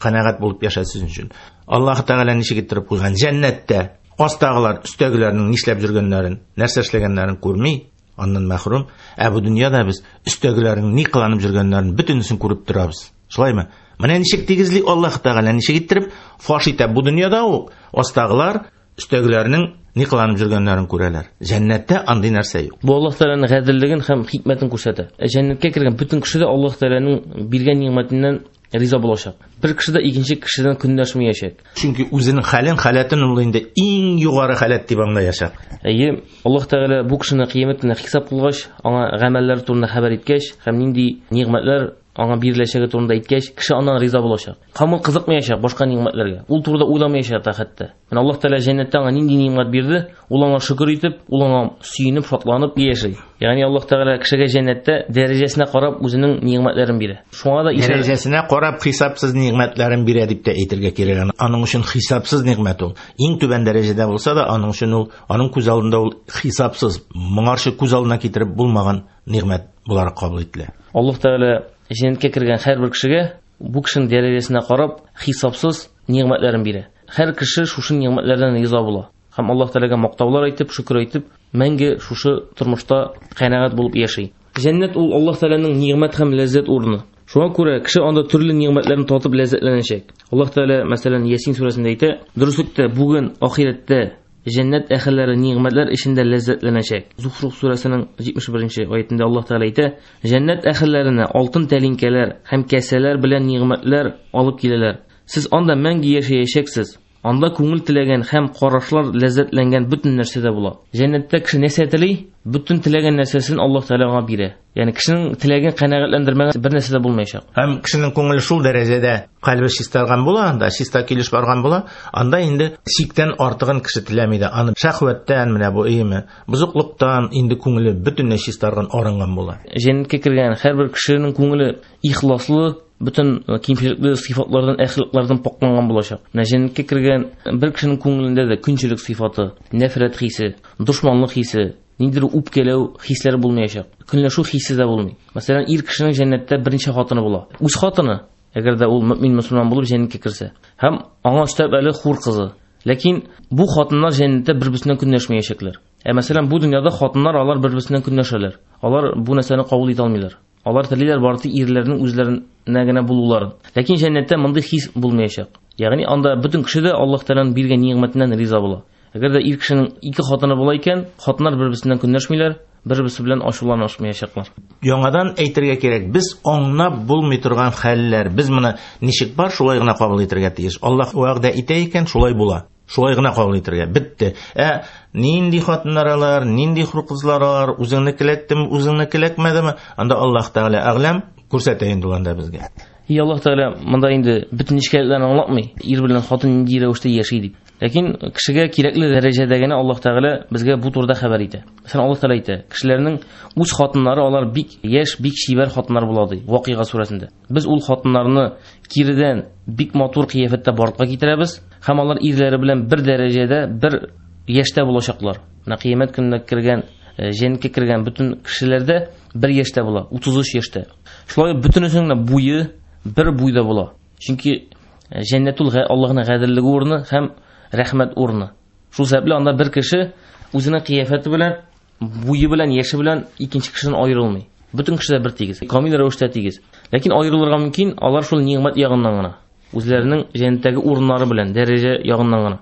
Speaker 2: канәгать булып яшәсен өчен. Аллаһ Тәгалә ничек иттереп куйган? Җәннәттә астагылар өстәгеләрнең нишләп йөргәннәрен, нәрсә эшләгәннәрен күрми. Аннан мәхрүм. Ә бу дөньяда без өстәгеләрнең ни кыланып йөргәннәрен бөтенесен күреп торабыз. Шулаймы? Менә ничек тигезли Аллаһ Тәгалә, ничек иттереп фаш итә бу дөньяда ук астагылар өстәгеләрнең ни кыланып йөргәннәрен күрәләр. Җәннәттә андый нәрсә юк.
Speaker 3: Бу Аллаһ Тәгаләнең гаделлеген һәм хикмәтен күрсәтә. Җәннәткә кергән бөтен кеше дә Аллаһ Тәгаләнең биргән нигъмәтеннән риза булачак. Бер кеше дә икенче кешедән көнләшмәячәк.
Speaker 2: Чөнки үзенең хәлен, халәтен ул инде иң югары халәт дип аңлаячак.
Speaker 3: Әйе, Аллаһ Тәгалә бу кешене кыямәт көнендә хисап кылгач, аңа гамәлләр турында хәбәр иткәч һәм нинди нигъмәтләр аңа биреләчәге турында әйткәч, кеше аннан риза булачак. Һәм ул кызыкмаячак башка нигъмәтләргә. Ул турыда уйламаячак та хәтта. Менә Аллаһ Тәгалә җәннәттә аңа нинди нигъмәт бирде, ул аңа шөкер итеп, ул аңа сөенеп, шатланып яши. Ягъни Аллаһ Тәгалә кешегә җәннәттә дәрәҗәсенә карап үзенең нигъмәтләрен бирә. Шуңа да
Speaker 2: дәрәҗәсенә карап хисапсыз нигъмәтләрен бирә дип тә әйтергә кирәк. Аның өчен хисапсыз нигъмәт ул. Иң түбән дәрәҗәдә булса да, аның өчен ул, аның күз алдында ул хисапсыз, моңарчы күз алдына китереп булмаган нигъмәт буларак кабул ителә.
Speaker 3: Аллаһ Тәгалә җәннәткә кергән һәрбер кешегә бу кешенең дәрәҗәсенә карап хисапсыз нигъмәтләрен бирә. Һәр кеше шушы нигъмәтләрдән риза була. Һәм Аллаһ Тәгаләгә мактаулар әйтеп, шөкер әйтеп, мәңге шушы тормышта канәгать булып яши. Җәннәт ул Аллаһ Тәгаләнең нигъмәт һәм ләззәт урыны. Шуңа күрә кеше анда төрле нигъмәтләрне татып ләззәтләнәчәк. Аллаһ Тәгалә, мәсәлән, Ясин сүрәсендә әйтә: "Дөреслектә бүген ахирәттә җәннәт әһелләре нигъмәтләр эчендә ләззәтләнәчәк." Зухруф сүрәсенең 71-нче аятендә Аллаһ Тәгалә әйтә: "Җәннәт әһелләренә алтын тәлинкәләр һәм кәсәләр белән нигъмәтләр алып киләләр. Сез анда мәңге яшәячәксез. Анда күңел теләгән һәм карашлар ләззәтләнгән бөтен нәрсә дә була." Җәннәттә кеше нәрсә тели, бөтен теләгән нәрсәсен Аллаһ Тәгалә аңа бирә. Ягъни кешенең теләген канәгатьләндермәгән бер нәрсә дә булмаячак.
Speaker 2: Һәм кешенең күңеле шул дәрәҗәдә кальбе чистарган була, анда чиста килеш барган була, анда инде чиктән артыгын кеше теләми дә. Аны шәһвәттән, менә бу өеме, бозыклыктан инде күңеле бөтенләй чистарган, арынган була.
Speaker 3: Җәннәткә кергән һәрбер кешенең күңеле ихласлы, бөтен кимчелекле сыйфатлардан, әхлаклардан пакланган булачак. Менә җәннәткә кергән бер кешенең күңелендә дә көнчелек сыйфаты, нәфрәт хисе, дошманлык хисе, ниндидер үпкәләү хисләре булмаячак. Көнләшү хисе дә булмый. Мәсәлән, ир кешенең җәннәттә берничә хатыны була. Үз хатыны, әгәр дә ул мөмин мөселман булып җәннәткә керсә, һәм аңа өстәп әле хур кызы. Ләкин бу хатыннар җәннәттә бер-берсеннән көнләшмәячәкләр. Ә мәсәлән, бу дөньяда хатыннар алар бер-берсеннән көнләшәләр. Алар бу нәрсәне кабул итә алмыйлар. Алар телиләр бары тик ирләрнең үзләренә генә булуларын. Ләкин җәннәттә мондый хис булмаячак. Ягъни анда бөтен кеше дә Аллаһ Тәгаләнең биргән нигъмәтеннән риза була. Әгәр дә ир кешенең ике хатыны була икән, хатыннар бер-берсеннән көнләшмиләр, бер-берсе белән ачуланышмаячаклар.
Speaker 2: Яңадан әйтергә кирәк, без аңлап булмый торган хәлләр, без моны ничек бар, шулай гына кабул итәргә тиеш. Аллаһ вәгъдә итә икән, шулай була. Шулай гына кабул итәргә. Бетте. Ә нинди хатыннар алар, нинди хур кызлар алар, үзеңне келәктеме, үзеңне келәкмәдеме? Анда Аллаһ Тәгалә әгъләм күрсәтә инде ул анда безгә.
Speaker 3: И Аллаһ Тәгалә монда инде бөтен нечкәлекләрне аңлатмый, ир белән хатын нинди рәвештә яши дип. Ләкин кешегә кирәкле дәрәҗәдә генә Аллаһ Тәгалә безгә бу турыда хәбәр итә. Мәсәлән, Аллаһ Тәгалә әйтә, кешеләрнең үз хатыннары алар бик яшь, бик чибәр хатыннар була ди, Вакыйга сүрәсендә. Без ул хатыннарны киредән бик матур кыяфәттә барлыкка китерәбез һәм алар ирләре белән бер дәрәҗәдә, бер яшьтә булачаклар. Менә кыямәт көненә кергән, җәннәткә кергән бөтен кешеләрдә бер яшьтә була, 33 яшьтә. Шулай бөтенесенең дә буе бер буйда була. Чөнки җәннәт ул Аллаһның гаделлеге урыны һәм рәхмәт урыны. Шул сәбәпле анда бер кеше үзенең кыяфәте белән, буе белән, яше белән икенче кешедән аерылмый. Бөтен кеше дә бер тигез, камил рәвештә тигез. Ләкин аерылырга мөмкин алар шул нигъмәт ягыннан гына, үзләренең җәннәттәге урыннары белән, дәрәҗә ягыннан гына.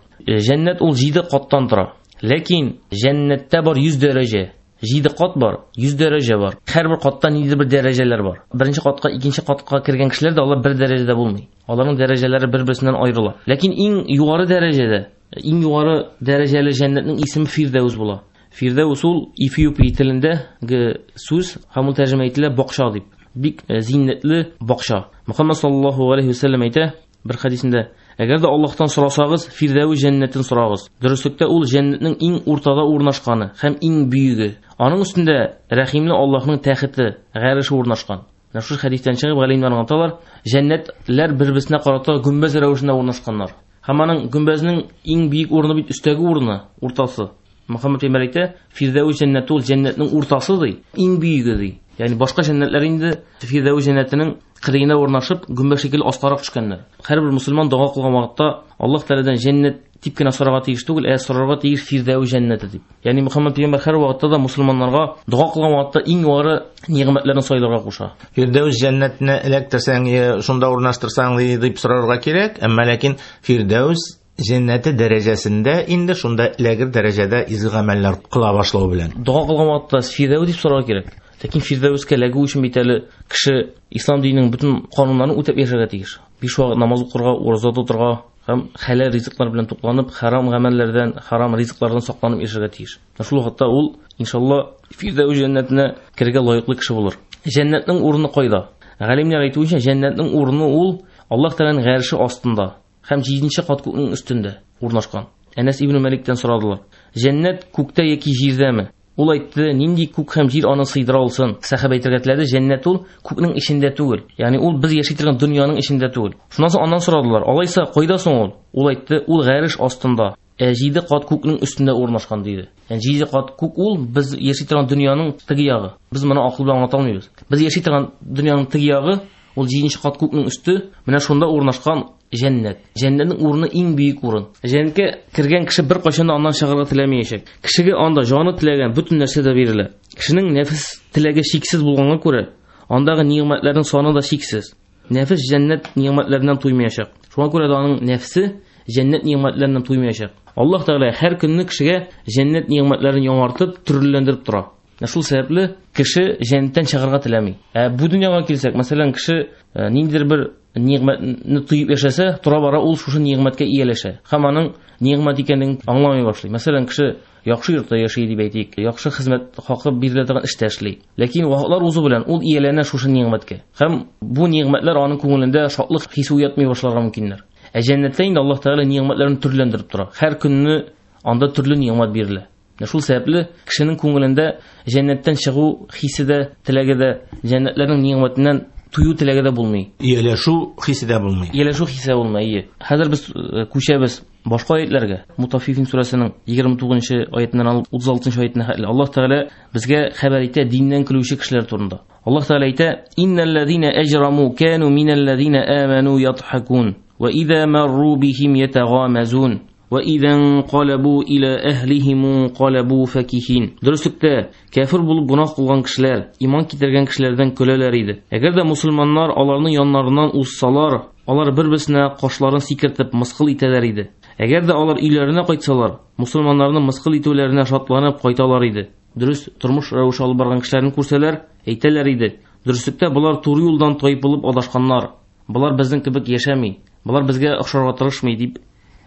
Speaker 3: Җәннәт ул 7 каттан тора. Ләкин җәннәттә бар 100 дәрәҗә. 7 кат бар, 100 дәрәҗә бар. Һәрбер катта ниндидер бер дәрәҗәләр бар. Беренче катка, икенче катка кергән кешеләр дә алар бер дәрәҗәдә булмый. Аларның дәрәҗәләре бер-берсеннән аерыла. Ләкин иң югары дәрәҗәдә, иң югары дәрәҗәле җәннәтнең исеме Фирдәүс була. Фирдәүс ул Эфиопия телендәге сүз һәм ул тәрҗемә ителә бакча дип. Бик зиннәтле бакча. Мөхәммәд саллаллаһу алейһи ва сәлләм әйтә бер хәдисендә: әгәр дә Аллаһтан сорасагыз, Фирдәүс җәннәтен сорагыз. Дөреслектә ул җәннәтнең иң уртада урнашканы һәм иң бөеге. Аның өстендә рәхимле Аллаһның тәхете, гареше урнашкан. Менә шул хәдистән чыгып галимнәр аңлаталар, җәннәтләр бер-берсенә карата гөмбәз рәвешендә урнашканнар. Һәм аның гөмбәзнең иң бөек урыны бит өстәге урыны, уртасы. Мөхәммәд пәйгамбәр әйтә, Фирдәүс җәннәте ул җәннәтнең уртасы ди, иң бөеге ди. Ягъни башка җәннәтләр инде Фирдәүс җәннәтенең кырыена урнашып, гөмбәз шикелле аскарак төшкәннәр. Һәрбер мөселман дога кылган вакытта Аллаһ Тәгаләдән җәннәт дип кенә сорарга тиеш түгел, ә сорарга тиеш Фирдәүс җәннәте дип. Ягъни Мөхәммәд пәйгамбәр һәр вакытта да мусульманнарга дога кылган вакытта иң югары нигъмәтләрне сайларга куша.
Speaker 2: Фирдәүс җәннәтенә эләктерсәң, шунда урнаштырсаң дип сорарга кирәк, әмма ләкин Фирдәүс җәннәте дәрәҗәсендә инде шунда эләгер дәрәҗәдә изге гамәлләр кыла башлау белән.
Speaker 3: Дога кылган вакытта Фирдәүс дип сорарга кирәк. Ләкин Фирдәүскә эләгү өчен бит әле кеше ислам диненең бөтен кануннарын үтәп яшәргә тиеш. 5 вакыт намаз укырга, ураза тотырга һәм хәләл ризыклар белән тукланып, харам гамәлләрдән, харам ризыклардан сакланып яшәргә тиеш. Шул вакытта ул иншалла Фирдәүс җәннәтенә керергә лаеклы кеше булыр. Җәннәтнең урыны кайда? Галимнәр әйтүенчә, җәннәтнең урыны ул Аллаһ Тәгаләнең гарше астында һәм 7-нче кат күкнең өстендә урнашкан. Әнәс ибн Мәликтән сорадылар: "Җәннәт күктә яки җирдәме?" Ул әйтте: "Нинди күк һәм җир аны сыйдыра алсын?" Сәхабә әйтергә теләде: "Җәннәт ул күкнең эчендә түгел. Ягъни ул без яши торган дөньяның эчендә түгел." Шуннан соң аннан сорадылар: "Алайса кайда соң ул?" Ул әйтте: "Ул гарш астында, 7 кат күкнең өстендә урнашкан" диде. Ягъни 7 кат күк ул без яши торган дөньяның теге ягы. Без моны акыл белән аңлата алмыйбыз. Без яши торган дөньяның теге ягы ул 7 кат күкнең өсте, менә шунда урнашкан җәннәт. Җәннәтнең урыны иң бөек урын. Җәннәткә кергән кеше бер кайчан да аннан чыгарга теләмәячәк. Кешегә анда җаны теләгән бөтен нәрсә дә бирелә. Кешенең нәфес теләге чиксез булганга күрә, андагы нигъмәтләрнең саны да чиксез. Нәфес җәннәт нигъмәтләреннән туймаячак. Шуңа күрә дә аның нәфсе җәннәт нигъмәтләреннән туймаячак. Аллаһ Тәгалә һәр көнне кешегә җәннәт нигъмәтләрен яңартып, төрлеләндереп тора. Шул сәбәпле кеше җәннәттән чыгарга теләми. Ә бу дөньяга килсәк, мәсәлән, кеше ниндидер бер нигъмәтне тоеп яшәсә, тора-бара ул шушы нигъмәткә ияләшә һәм аның нигъмәт икәнен аңламый башлый. Мәсәлән, кеше яхшы йортта яши дип әйтик, яхшы хезмәт хакы бирелә торган эштә эшли. Ләкин вакытлар узу белән ул ияләнә шушы нигъмәткә. Һәм бу нигъмәтләр аның күңелендә шатлык хисе уятмый башларга мөмкиннәр. Ә җәннәттә инде Аллаһ Тәгалә нигъмәтләрен төрләндереп тора. Һәр көнне анда төрле нигъмәт бирелә. Шул сәбәпле кешенең күңелендә җәннәттән чыгу хисе дә, теләге дә, җәннәтләрнең нигъмәтеннән тую теләге дә булмый.
Speaker 2: Ияләшү хисе дә булмый.
Speaker 3: Ияләшү хисе булмый, ие. Хәзер без күчәбез башка аятларга. Мутаффифин сүрәсенең 29-нчы аятыннан алып 36-нчы аятына хәтле Аллаһ Тәгалә безгә хәбәр итә диннән көлүче кешеләр турында. Аллаһ Тәгалә әйтә: "Иннәлләзина әҗраму кану минәлләзина аману ятхакун ва иза марру бихим ятагамазун ва иза инqalabu ила әһлихим инqalabu факихин." Дөреслектә, кәфир булып гөнаһ кылган кешеләр иман китергән кешеләрдән көләләр иде. Әгәр дә мусульманнар аларның яннарыннан узсалар, алар бер-берсенә кашларын сикертеп мыскыл итәләр иде. Әгәр дә алар өйләренә кайтсалар, мусульманнарның мыскыл итүләренә шатланып кайталар иде. Дөрес тормыш рәвеше алып барган кешеләрне күрсәләр, әйтәләр иде: "Дөреслектә болар туры юлдан тайпылып адашканнар. Болар безнең кебек яшәми, болар безгә охшарга тырышмый" дип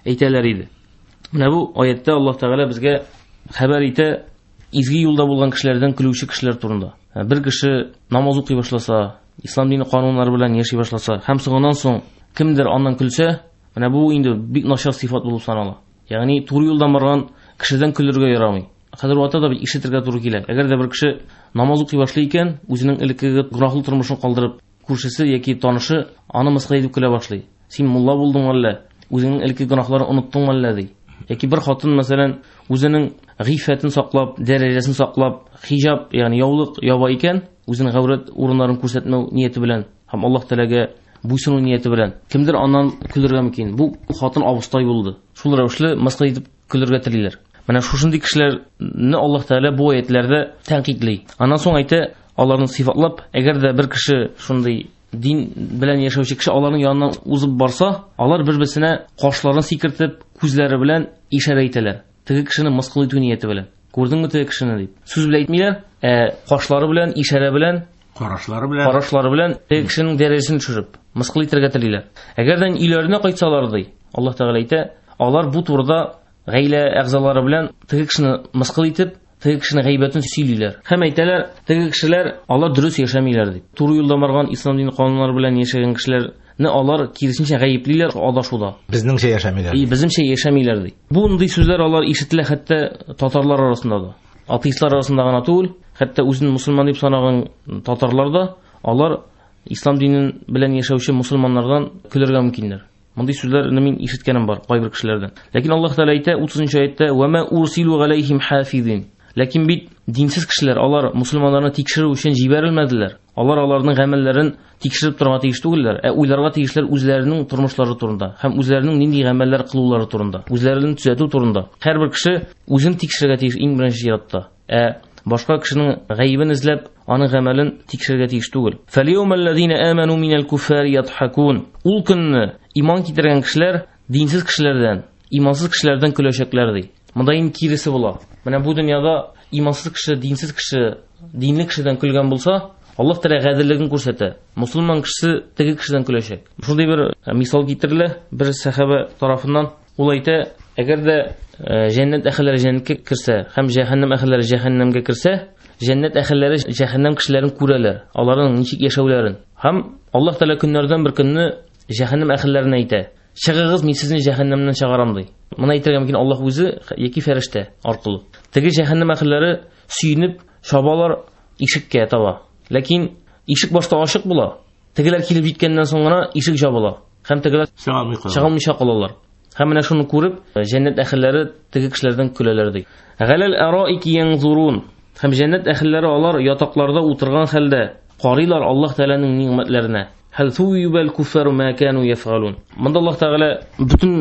Speaker 3: әйтәләр иде. Менә бу аятта Аллаһ Тәгалә безгә хәбәр итә изге юлда булган кешеләрдән көлүче кешеләр турында. Бер кеше намаз укый башласа, ислам дине кануннары белән яши башласа һәм соңыннан соң кемдер аннан көлсә, менә бу инде бик начар сыйфат булып санала. Ягъни туры юлдан барган кешедән көлергә ярамый. Хәзер вакытта да бит ишетергә туры килә. Әгәр дә бер кеше намаз укый башлый икән, үзенең элеккеге гөнаһлы тормышын калдырып, күршесе яки танышы аны мыскыл итеп көлә башлый. Син мулла булдың әллә? Үзеңнең элекке гөнаһларын оныттың әллә ди. Яки бер хатын, мәсәлән, үзенең гыйффәтен саклап, дәрәҗәсен саклап, хиҗаб, ягъни яулык яба икән, үзенең гаурәт урыннарын күрсәтмәү нияте белән һәм Аллаһ Тәгаләгә буйсыну нияте белән кемдер аннан көлергә мөмкин. Бу хатын абыстай булды. Шул рәвешле мыскыл итеп көлергә телиләр. Менә шушындый кешеләрне Аллаһ Тәгалә бу аятларда тәнкыйтьли. Аннан соң әйтә, аларны сыйфатлап, әгәр дә бер кеше шундый дин белән яшәүче кеше аларның яныннан узып барса, алар бер-берсенә кашларын сикертеп, күзләре белән ишарә итәләр. Теге кешене мыскыл итү нияте белән. Күрдеңме теге кешене дип. Сүз белән әйтмиләр, ә кашлары белән, ишарә белән,
Speaker 2: карашлары
Speaker 3: белән теге кешенең дәрәҗәсен төшереп, мыскыл итәргә телиләр. Әгәр дә өйләренә кайтсалар ди, Аллаһ Тәгалә әйтә, алар бу турыда гаилә әгъзалары белән теге кешене мыскыл итеп, теге кешенең гайбәтен сөйлиләр. Һәм әйтәләр, теге кешеләр алар дөрес яшәмиләр дип. Туры юлда барган ислам дине кануннары белән яшәгән кешеләрне алар киресенчә гаеплиләр адашуда.
Speaker 2: Безнеңчә яшәмиләр.
Speaker 3: И, безнеңчә яшәмиләр ди. Бундый сүзләр алар ишетелә хәтта татарлар арасында да. Атеистлар арасында гына түгел, хәтта үзен мусульман дип санаган татарлар да алар ислам динен белән яшәүче мусульманнардан көлергә мөмкиннәр. Мондый сүзләрне мин ишеткәнем бар кайбер кешеләрдән. Ләкин Аллаһ Тәгалә әйтә 30 аятта: "Ва ма урсилу галәйһим хафизин." Ләкин бит динсез кешеләр алар мусульманнарны тикшерү өчен җибәрелмәделәр. Алар аларның гамәлләрен тикшереп торырга тиеш түгелләр, ә уйларга тиешләр үзләренең тормышлары турында һәм үзләренең нинди гамәлләр кылулары турында, үзләрен төзәтү турында. Һәрбер кеше үзен тикшерергә тиеш иң беренче чиратта. Ә башка кешенең гаебен эзләп, аның гамәлен тикшерергә тиеш түгел. Фәльяумәлләзина аману минәл куффари ядхакун. Ул көнне иман китергән кешеләр динсез кешеләрдән, имансыз кешеләрдән көләчәкләр ди. Монда инде киресе була. Менә бу дөньяда имансыз кеше, динсез кеше, динле кешедән көлгән булса, Аллаһ Тәгалә гаделлеген күрсәтә. Мусульман кешесе теге кешедән көләчәк. Шундый бер мисал китерелә бер сәхабә тарафыннан. Ул әйтә, әгәр дә җәннәт әһелләре җәннәткә керсә һәм җәһәннәм әһелләре җәһәннәмгә керсә, җәннәт әһелләре җәһәннәм кешеләрен күрәләр, аларның ничек яшәүләрен. Һәм Аллаһ Тәгалә көннәрдән бер көнне җәһәннәм әһелләренә әйтә: "Чыгыгыз, мин сезне җәһәннәмнән чыгарам", ди. Моны әйтергә мөмкин Аллаһ үзе яки фәрештә аркылы. Теге җәһәннәм әһелләре сөенеп чабалар ишеккә таба. Ләкин ишек башта ачык була. Тегеләр килеп җиткәннән соң гына ишек җабыла. Һәм тегеләр чыга алмыйча калалар. Һәм менә шуны күреп, җәннәт әһелләре теге кешеләрдән көләләр ди. Галәл араики янзурун. Һәм җәннәт әһелләре алар ятакларда утырган хәлдә карыйлар Аллаһ Тәгаләнең нигъмәтләренә. Хәл суйбал куффару ма кану яфалун. Монда Аллаһ Тәгалә бөтен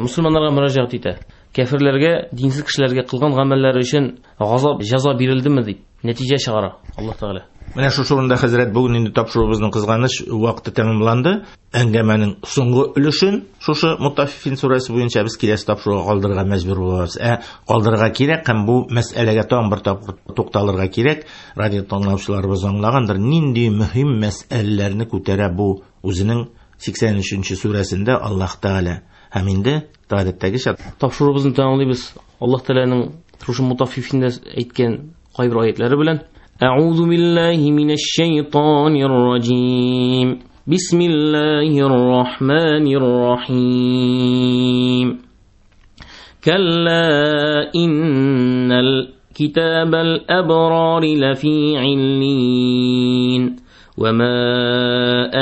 Speaker 3: мусульманнарга мөрәҗәгать итә. Кәферләргә, динсез кешеләргә кылган гамәлләре өчен газап, җәза бирелдеме дип нәтиҗә чыгара Аллаһ Тәгалә.
Speaker 2: Менә шушы урында, хәзрәт, бүген инде тапшыруыбызның кызганыч вакыты тәмамланды. Әңгәмәнең соңгы өлешен шушы Мутаффифин сүрәсе буенча без киләсе тапшыруга калдырырга мәҗбүр булабыз. Ә калдырырга кирәк һәм бу мәсьәләгә тагын бер тапкыр тукталырга кирәк. Радио тыңлаучыларыбыз аңлагандыр, нинди мөһим мәсьәләләрне күтәрә бу үзенең 83-нче сүрәсендә Аллаһ Тәгалә. Һәм инде гадәттәгечә
Speaker 3: тапшыруыбызны тәмамлыйбыз. Аллаһ Тәгаләнең шушы Мутаффифиндә әйткән кайбер аятлары белән. أعوذ بالله من الشيطان الرجيم. بسم الله الرحمن الرحيم. كلا إن الكتاب الأبرار لفي عليين وما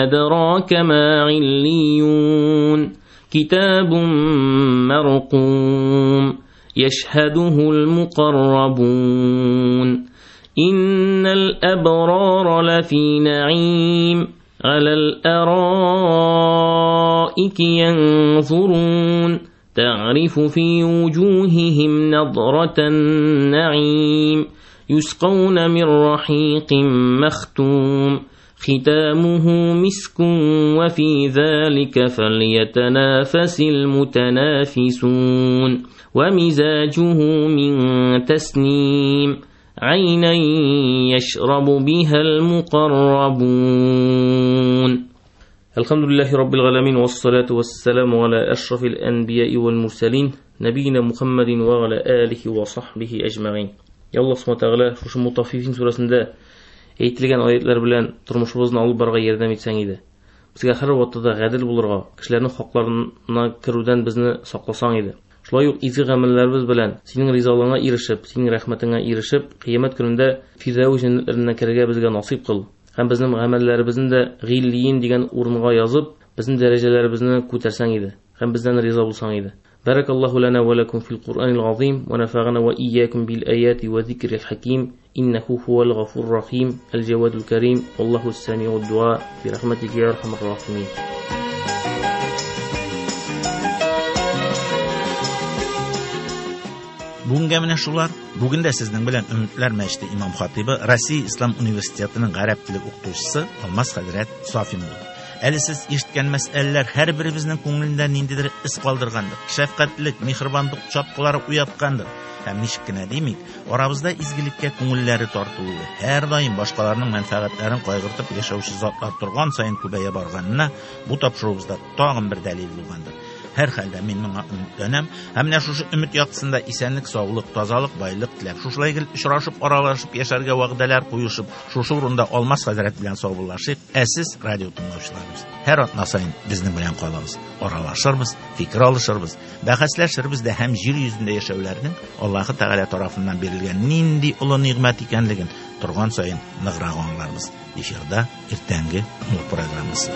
Speaker 3: أدراك ما عليون. كتاب مرقوم يشهده المقربون. إن الأبرار لفي نعيم على الأرائك ينظرون. تعرف في وجوههم نضرة النعيم يسقون من رحيق مختوم ختامه مسك وفي ذلك فليتنافس المتنافسون. ومزاجه من تسنيم عينا يشرب بها المقربون. الحمد لله رب العالمين والصلاة والسلام على أشرف الأنبياء والمرسلين نبينا محمد وعلى آله وصحبه أجمعين. Ya Allah Subhanahu Teala шушы Мутаффифин сүрәсендә әйтелгән аятлар белән тормышыбызны алып барырга ярдәм итсәң иде. Безгә һәр вакытта гадел булырга, кешеләрнең хакларына керүдән безне сакласаң иде. Шулай ук изге гамәлләребез белән синең ризалыгыңа ирешеп, синең рәхмәтеңә ирешеп, кыямәт көнендә Фирдәүс җәннәтләренә керергә безгә насыйп кыл. Һәм безнең гамәлләребезне дә гыйллиин дигән урынга язып, безнең дәрәҗәләребезне күтәрсәң иде. Һәм бездән риза булсаң иде. Баракаллаһу лана ва лакум фил Куръанил азим ва нафагана ва ийякум бил аяти ва зикрил хаким. Иннаху хувал гафур рахим, аль джавадул карим. Валлаху ас-самиуд дуа би рахматика я архамар рахимин.
Speaker 2: Бүгенгә менә шулар. Бүген дә сезнең белән Өметләр мәчете имам хатибы, Россия Ислам университетының гарәп теле укытучысы Алмаз хәзрәт Сафин булды. Әле сез ишеткән мәсьәләләр һәрберебезнең күңелендә ниндидер эз калдыргандыр. Шәфкатьлек, миһербанлык чаткылары уяткандыр. Һәм ничек кенә димик, арабызда изгелеккә күңелләре тартылуы, һәр даим башкаларның мәнфәгатьләрен кайгыртып яшәүче затлар торган саен күбәя барганына бу тапшыруыбызда тагын бер дәлил булгандыр. Һәр хәлдә мин моңа өметләнәм. Һәм менә шушы өмет яктысында исәнлек, саулык, тазалык, байлык теләп, шушылай гел очрашып, аралашып яшәргә вәгъдәләр куешып, шушы урында Алмаз хәзрәт белән саубуллашыйк. Ә сез, радио тыңлаучыларыбыз, һәр атна саен безнең белән калыгыз, аралашырбыз, фикер алышырбыз, бәхәсләшербез дә һәм җир йөзендә яшәүләрнең Аллаһы Тәгалә тарафыннан бирелгән нинди олы нигъмәт икәнлеген торган саен ныграк аңларбыз. Эфирда иртәнге нур программасы.